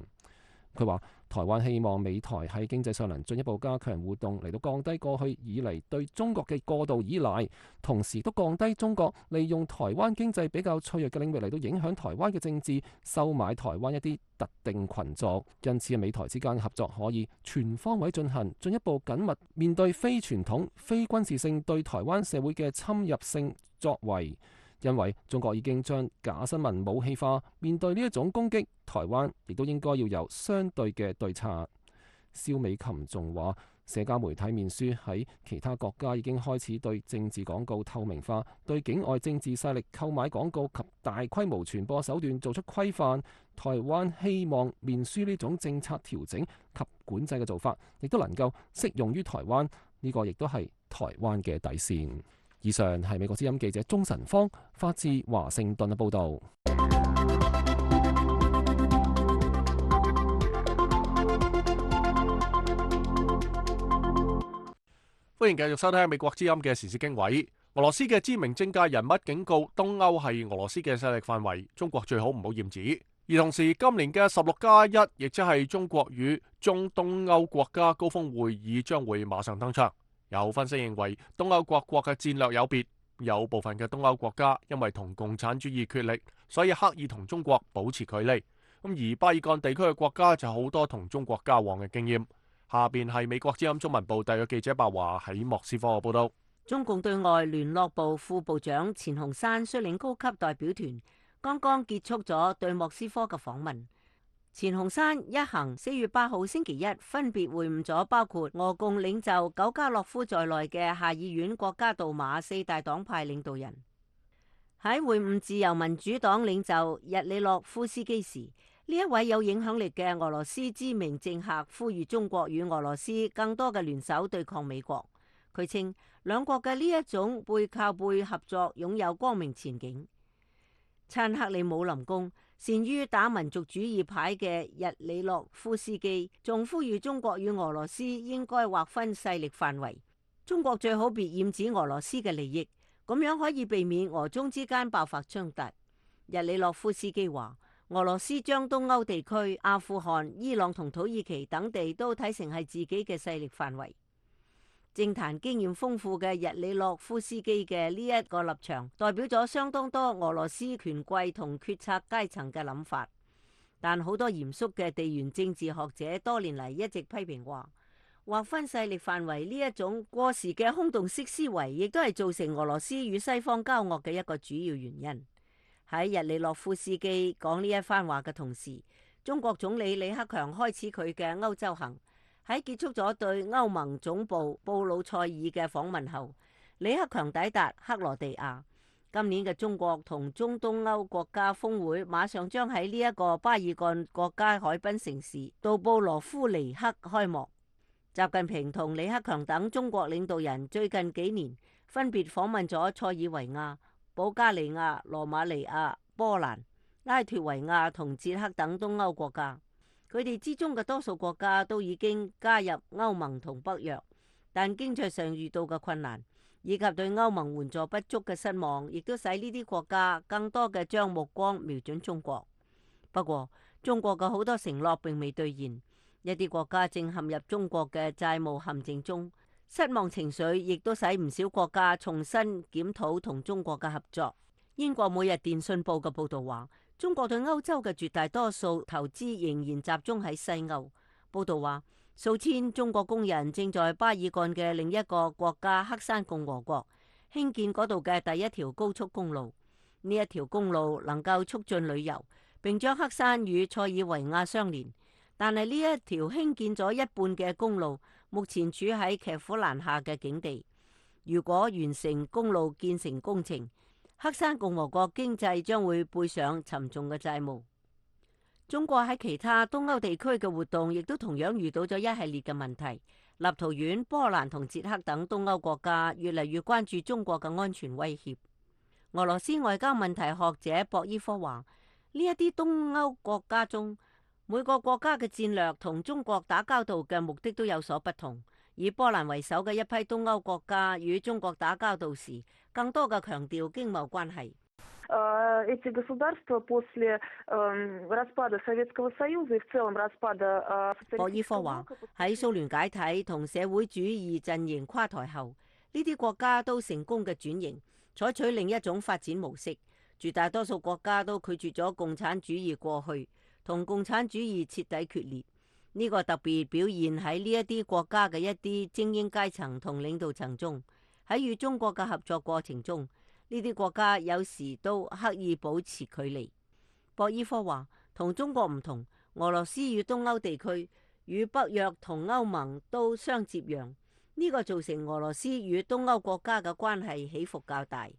佢話台灣希望美台喺經濟上能進一步加強互動，嚟到降低過去以嚟對中國嘅過度依賴，同時都降低中國利用台灣經濟比較脆弱嘅領域嚟到影響台灣嘅政治，收買台灣一啲特定群族。因此美台之間嘅合作可以全方位進行，進一步緊密面對非傳統、非軍事性對台灣社會嘅侵入性作為。因為中國已經將假新聞武器化，面對呢一種攻擊，台灣亦都應該要有相對嘅對策。蕭美琴仲話，社交媒體面書喺其他國家已經開始對政治廣告透明化，對境外政治勢力購買廣告及大規模傳播手段做出規範。台灣希望面書呢種政策調整及管制嘅做法，亦都能夠適用於台灣，呢個亦都係台灣嘅底線。以上係美國之音記者鍾晨芳發自華盛頓嘅報導。歡迎繼續收聽美國之音嘅時事經緯。俄羅斯嘅知名政界人物警告，東歐係俄羅斯嘅勢力範圍，中國最好唔好染指。而同時，今年嘅十六加一，亦即係中國與中東歐國家高峰會議將會馬上登場。有分析認為，東歐各國嘅戰略有別，有部分嘅東歐國家因為同共產主義決力，所以刻意同中國保持距離。咁而巴爾幹地區嘅國家就好多同中國交往嘅經驗。下邊係美國之音中文部特約記者白華喺莫斯科嘅報道。中共對外聯絡部副部長錢洪山率領高級代表團剛剛結束咗對莫斯科嘅訪問。錢洪山一行四月八號星期一分別會晤咗包括俄共領袖苟加洛夫在內嘅下議院國家杜馬四大黨派領導人。喺會晤自由民主黨領袖日里諾夫斯基時，呢一位有影響力嘅俄羅斯知名政客呼籲中國與俄羅斯更多嘅聯手對抗美國。佢稱兩國嘅呢一種背靠背合作擁有光明前景。親克里姆林宮善於打民族主義牌嘅日里諾夫斯基仲呼籲中國與俄羅斯應該劃分勢力範圍，中國最好別染指俄羅斯嘅利益，咁樣可以避免俄中之間爆發衝突。日里諾夫斯基話，俄羅斯將東歐地區、阿富汗、伊朗同土耳其等地都睇成係自己嘅勢力範圍。政壇經驗豐富嘅日里諾夫斯基嘅呢一個立場，代表咗相當多俄羅斯權貴同決策階層嘅諗法。但好多嚴肅嘅地緣政治學者多年嚟一直批評話，劃分勢力範圍呢一種過時嘅空洞式思維，亦都係造成俄羅斯與西方交惡嘅一個主要原因。喺日里諾夫斯基講呢一番話嘅同時，中國總理李克強開始佢嘅歐洲行。喺結束咗對歐盟總部布魯塞爾嘅訪問後，李克強抵達克羅地亞。今年嘅中國同中東歐國家峰會馬上將喺呢一個巴爾幹國家海濱城市杜布羅夫尼克開幕。習近平同李克強等中國領導人最近幾年分別訪問咗塞爾維亞、保加利亞、羅馬尼亞、波蘭、拉脫維亞同捷克等東歐國家。佢哋之中嘅多數國家都已經加入歐盟同北約，但經濟上遇到嘅困難以及對歐盟援助不足嘅失望，亦都使呢啲國家更多嘅將目光瞄準中國。不過，中國嘅好多承諾並未兌現，一啲國家正陷入中國嘅債務陷阱中，失望情緒亦都使唔少國家重新檢討同中國嘅合作。英國每日電訊報嘅報導話，中國對歐洲嘅絕大多數投資仍然集中喺西歐。報道話，數千中國工人正在巴爾幹嘅另一個國家黑山共和國興建嗰度嘅第一條高速公路。呢一條公路能夠促進旅遊，並將黑山與塞爾維亞相連。但係呢一條興建咗一半嘅公路，目前處喺騎虎難下嘅境地。如果完成公路建成工程，黑山共和國經濟將會背上沉重嘅債務。中國喺其他東歐地區嘅活動亦都同樣遇到咗一系列嘅問題。立陶宛、波蘭同捷克等東歐國家越嚟越關注中國嘅安全威脅。俄羅斯外交問題學者博伊科話：呢一啲東歐國家中，每個國家嘅戰略同中國打交道嘅目的都有所不同。以波蘭為首嘅一批東歐國家與中國打交道時，更多嘅強調經貿關係。эти государства после распада Советского Союза и в целом распада 博伊科話：喺蘇聯解體同社會主義陣營垮台後，呢啲國家都成功嘅轉型，採取另一種發展模式。絕大多數國家都拒絕咗共產主義過去，同共產主義徹底決裂。呢個特別表現喺呢一啲國家嘅一啲精英階層同領導層中。喺與中國嘅合作過程中，呢啲國家有時都刻意保持距離。博伊科話：同中國唔同，俄羅斯與東歐地區與北約同歐盟都相接壤，呢個造成俄羅斯與東歐國家嘅關係起伏較大。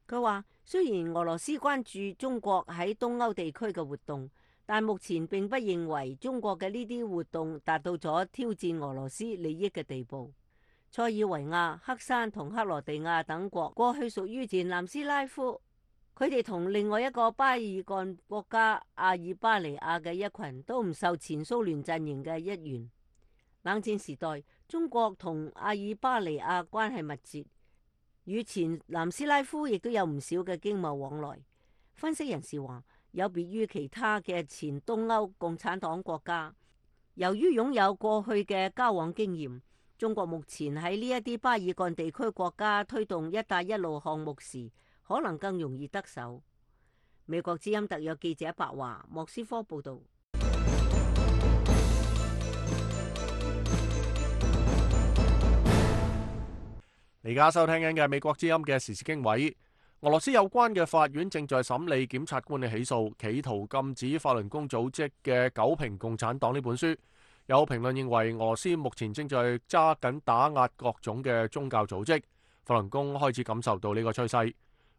佢話：雖然俄羅斯關注中國喺東歐地區嘅活動，但目前並不認為中國嘅呢啲活動達到咗挑戰俄羅斯利益嘅地步。塞爾維亞、黑山同克羅地亞等國過去屬於前南斯拉夫，佢哋同另外一個巴爾幹國家阿爾巴尼亞嘅一群都唔受前蘇聯陣營嘅一員。冷戰時代，中國同阿爾巴尼亞關係密切，與前南斯拉夫亦都有唔少嘅經貿往來。分析人士話，有別於其他嘅前東歐共產黨國家，由於擁有過去嘅交往經驗，中國目前喺呢一啲巴爾幹地區國家推動一帶一路項目時，可能更容易得手。美國之音特約記者白華莫斯科報道。而家收聽緊嘅美國之音嘅時事經緯，俄羅斯有關嘅法院正在審理檢察官嘅起訴，企圖禁止法輪功組織嘅《九評共產黨》呢本書。有評論認為，俄羅斯目前正在揸緊打壓各種嘅宗教組織，法輪功開始感受到呢個趨勢。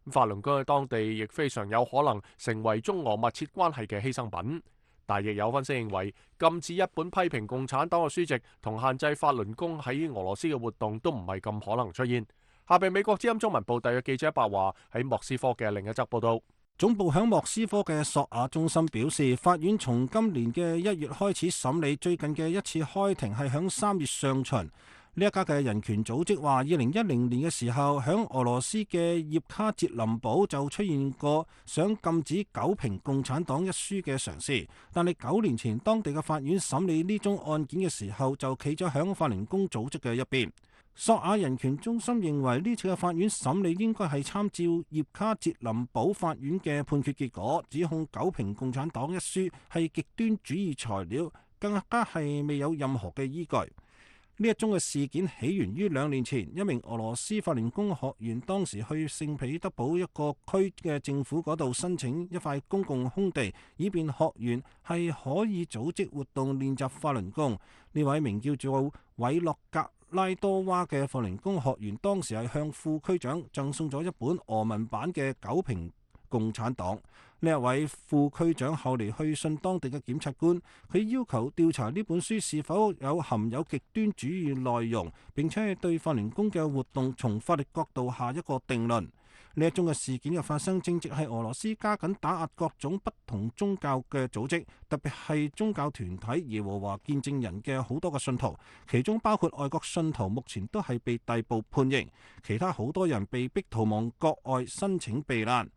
法輪功喺當地亦非常有可能成為中俄密切關係嘅犧牲品。但亦有分析認為，禁止一本批評共產黨嘅書籍同限制法輪功喺俄羅斯嘅活動都唔係咁可能出現。下邊美國之音中文部特約記者白華喺莫斯科嘅另一則報道。總部響莫斯科嘅索亞中心表示，法院從今年嘅一月開始審理，最近嘅一次開庭係響三月上旬。呢一家嘅人權組織話，二零一零年嘅時候，響俄羅斯嘅葉卡捷林堡就出現過想禁止《九評共產黨》一書嘅嘗試，但係九年前當地嘅法院審理呢宗案件嘅時候，就企咗響法輪功組織嘅一邊。索亞人權中心認為呢次嘅法院審理應該係參照葉卡捷林堡法院嘅判決結果，指控《九評共產黨》一書係極端主義材料，更加係未有任何嘅依據。呢一宗嘅事件起源於兩年前，一名俄羅斯法輪功學員當時去聖彼得堡一個區嘅政府嗰度申請一塊公共空地，以便學員係可以組織活動練習法輪功。呢位名叫做韋洛格拉多娃嘅法輪功學員當時係向副區長贈送咗一本俄文版嘅《九評共產黨》。呢一位副區長後嚟去信當地嘅檢察官，佢要求調查呢本書是否有含有極端主義內容，並且係對法輪功嘅活動從法律角度下一個定論。呢一宗嘅事件嘅發生，正值係俄羅斯加緊打壓各種不同宗教嘅組織，特別係宗教團體耶和華見證人嘅好多個信徒，其中包括外國信徒，目前都係被逮捕判刑，其他好多人被逼逃亡國外申請避難。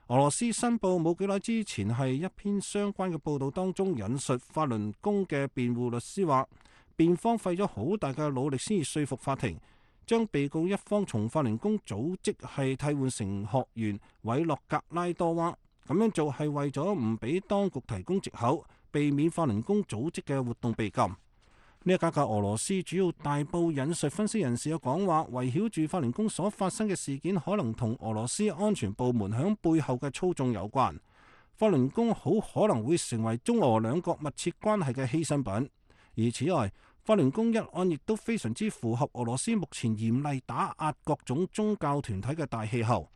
俄羅斯申報冇幾耐之前係一篇相關嘅報道當中引述法輪功嘅辯護律師話，辯方費咗好大嘅努力先至說服法庭，將被告一方從法輪功組織係替換成學員韋洛格拉多娃，咁樣做係為咗唔俾當局提供藉口，避免法輪功組織嘅活動被禁。呢一家嘅俄羅斯主要大報引述分析人士嘅講話，圍繞住法輪功所發生嘅事件，可能同俄羅斯安全部門響背後嘅操縱有關。法輪功好可能會成為中俄兩國密切關係嘅犧牲品。而此外，法輪功一案亦都非常之符合俄羅斯目前嚴厲打壓各種宗教團體嘅大氣候。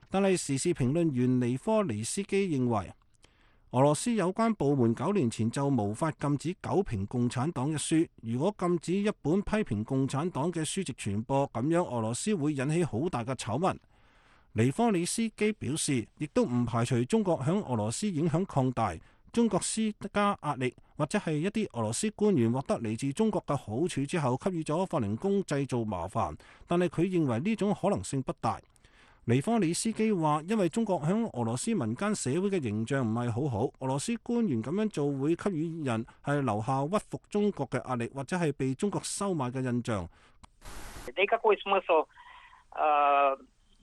但係時事評論員尼科尼斯基認為，俄羅斯有關部門九年前就無法禁止《九評共產黨》一書。如果禁止一本批評共產黨嘅書籍傳播，咁樣俄羅斯會引起好大嘅醜聞。尼科里斯基表示，亦都唔排除中國響俄羅斯影響擴大，中國施加壓力，或者係一啲俄羅斯官員獲得嚟自中國嘅好處之後，給予咗法輪功製造麻煩。但係佢認為呢種可能性不大。尼科里斯基話，因為中國響俄羅斯民間社會嘅形象唔係好好，俄羅斯官員咁樣做會給予人係留下屈服中國嘅壓力，或者係被中國收買嘅印象。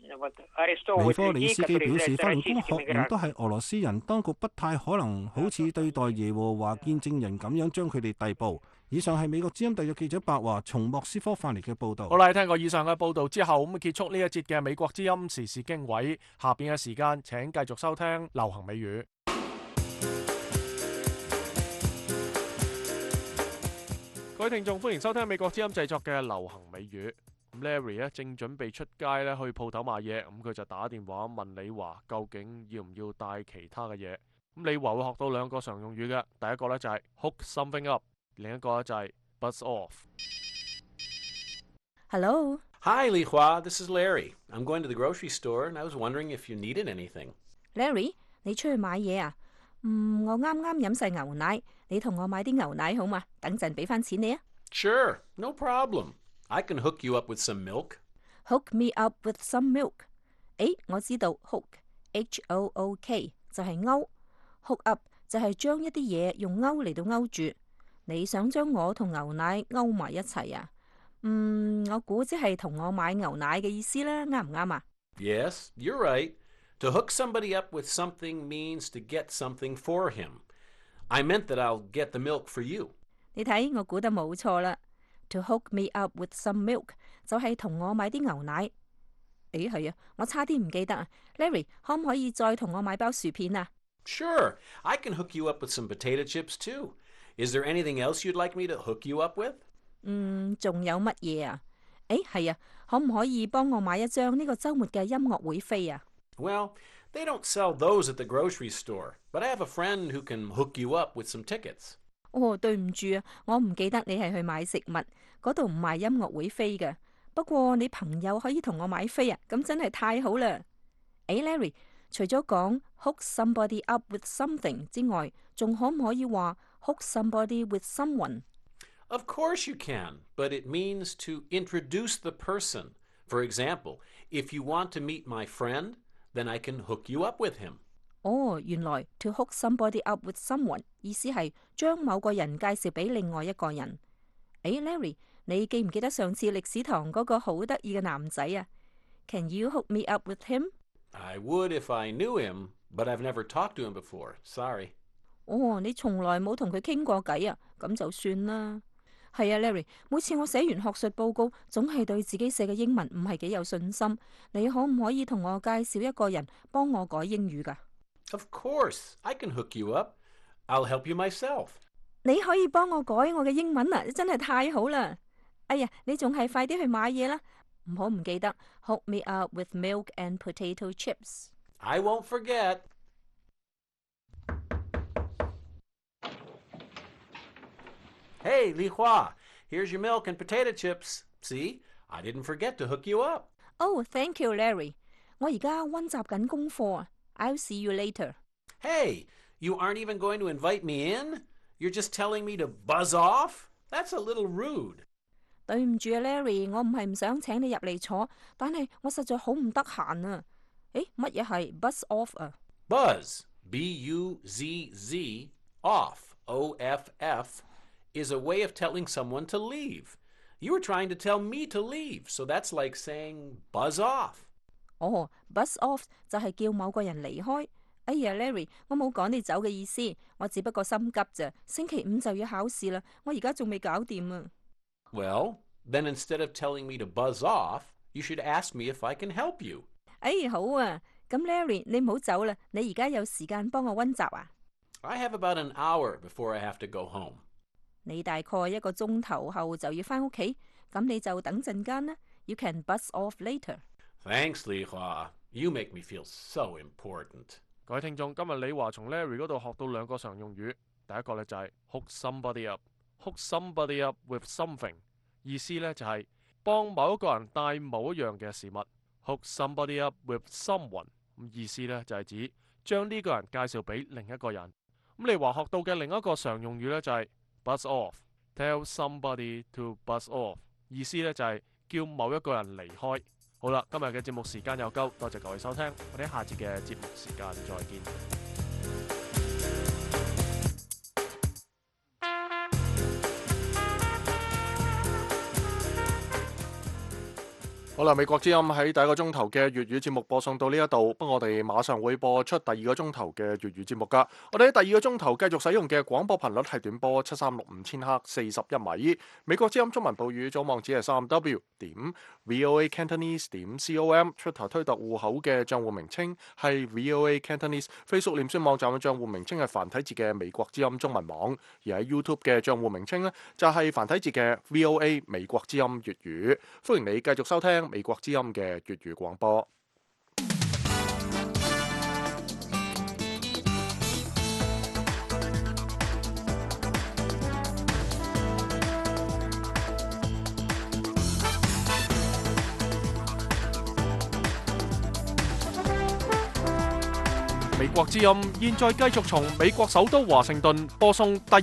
尼科里斯基表示，法輪功學員都係俄羅斯人，當局不太可能好似對待耶和華見證人咁樣將佢哋逮捕。以上係美國之音特約記者白華從莫斯科翻嚟嘅報導。好啦，聽過以上嘅報導之後，咁結束呢一節嘅美國之音時事經緯。下邊嘅時間請繼續收聽流行美語。各位聽眾，歡迎收聽美國之音製作嘅流行美語。Larry 咧正準備出街咧去鋪頭買嘢，咁佢就打電話問李華究竟要唔要帶其他嘅嘢。咁李華會學到兩個常用語嘅，第一個咧就係 hook something up， 另一個咧就係 buzz off。 Hello. Hi, Li Hua. This is Larry. I'm going to the grocery store, and I was wondering if you needed anything. Larry， 你出去買嘢啊？嗯，我啱啱飲晒牛奶，你同我買啲牛奶好嘛？等陣俾翻錢你啊。Sure, no problem. I can hook you up with some milk. Hook me up with some milk. 誒，我知道 hook H O O K 就係勾 ，hook up 就係將一啲嘢用勾嚟到勾住。你想將我同牛奶勾埋一齊啊？嗯，我估即係同我買牛奶嘅意思啦，啱唔啱啊？ Yes, you're right. To hook somebody up with something means to get something for him. I meant that I'll get the milk for you. 你睇，我估得冇錯啦。To hook me up with some milk 就係同我買啲牛奶。誒，係啊，我差啲唔記得啊。Larry， 可唔可以再同我買包薯片啊？ Sure, I can hook you up with some potato chips too. Is there anything else you'd like me to hook you up with? 嗯，仲有乜嘢啊？誒，係啊，可唔可以幫我買一張呢個週末嘅音樂會飛啊？ Well, they don't sell those at the grocery store, but I have a friend who can hook you up with some tickets. 哦，對唔住啊，我唔記得你係去買食物，嗰度唔賣音樂會飛嘅。不過你朋友可以同我買飛啊，咁真係太好啦。誒 ，Larry， 除咗講 hook somebody up with something 之外，仲可唔可以話 hook somebody with someone？ Of course you can, but it means to introduce the person. For example, if you want to meet my friend, then I can hook you up with him. 哦，原來 to hook somebody up with someone 意思係將某個人介紹俾另外一個人。誒 ，Larry， 你記唔記得上次歷史堂嗰個好得意嘅男仔啊 ？Can you hook me up with him？ I would if I knew him, but I've never talked to him before. Sorry. 哦，你從來冇同佢傾過偈啊？咁就算啦。係啊 ，Larry， 每次我寫完學術報告，總係對自己寫嘅英文唔係幾有信心。你可唔可以同我介紹一個人幫我改英語㗎？ Of course, I can hook you up. I'll help you myself. 你可以幫我改我嘅英文啊，真係太好啦！哎呀，你仲係快啲去買嘢啦，唔好唔記得 hook me up with milk and potato chips. I won't forget. Hey, Li Hua, here's your milk and potato chips. See, I didn't forget to hook you up. Oh, thank you, Larry. 我而家溫習緊功課啊。I'll see you later. Hey, you aren't even going to invite me in? You're just telling me to buzz off? That's a little rude. 對唔住啊 ，Larry， 我唔係唔想請你入嚟坐，但係我實在好唔得閒啊。誒，乜嘢係 buzz off 啊 ？Buzz, B U Z Z, off, O F F, is a way of telling someone to leave. You were trying to tell me to leave, so that's like saying buzz off. 哦 ，buzz off 就係叫某個人離開。哎呀 ，Larry， 我冇趕你走嘅意思，我只不過心急咋。星期五就要考試啦，我而家仲未搞掂啊。Well, then instead of telling me to buzz off, you should ask me if I can help you. 哎，好啊，咁 Larry， 你唔好走啦，你而家有時間幫我溫習啊？ I have about an hour before I have to go home. 你大概一個鐘頭後就要返屋企，咁你就等陣間啦。You can buzz off later. Thanks, Li Hua. You make me feel so important. 各位聽眾，今日李華從 Larry 嗰度學到兩個常用語，第一個咧就係 hook somebody up。hook somebody up with something， 意思咧就係幫某一個人帶某一樣嘅事物。hook somebody up with someone， 咁意思咧就係指將呢個人介紹俾另一個人。咁李華學到嘅另一個常用語咧就係 buzz off。tell somebody to buzz off， 意思咧就係叫某一個人離開。好啦，今日嘅節目時間又夠，多謝各位收聽，我哋下節嘅節目時間再見。好啦，美國之音喺第一個鐘頭嘅粵語節目播送到呢一度，不過我哋馬上會播出第二個鐘頭嘅粵語節目噶。我哋喺第二個鐘頭繼續使用嘅廣播頻率係短波七三六五千赫四十一米。美國之音中文報語總網址係三 W 點 VOA Cantonese 點 com， 出頭推特戶口嘅賬戶名稱係 VOA Cantonese，Facebook 臉書網站嘅賬戶名稱係繁體字嘅美國之音中文網，而喺 YouTube 嘅賬戶名稱呢，就係繁體字嘅 VOA 美國之音粵語。歡迎你繼續收聽美國之音嘅粵語廣播。美國之音現在繼續從美國首都華盛頓播送第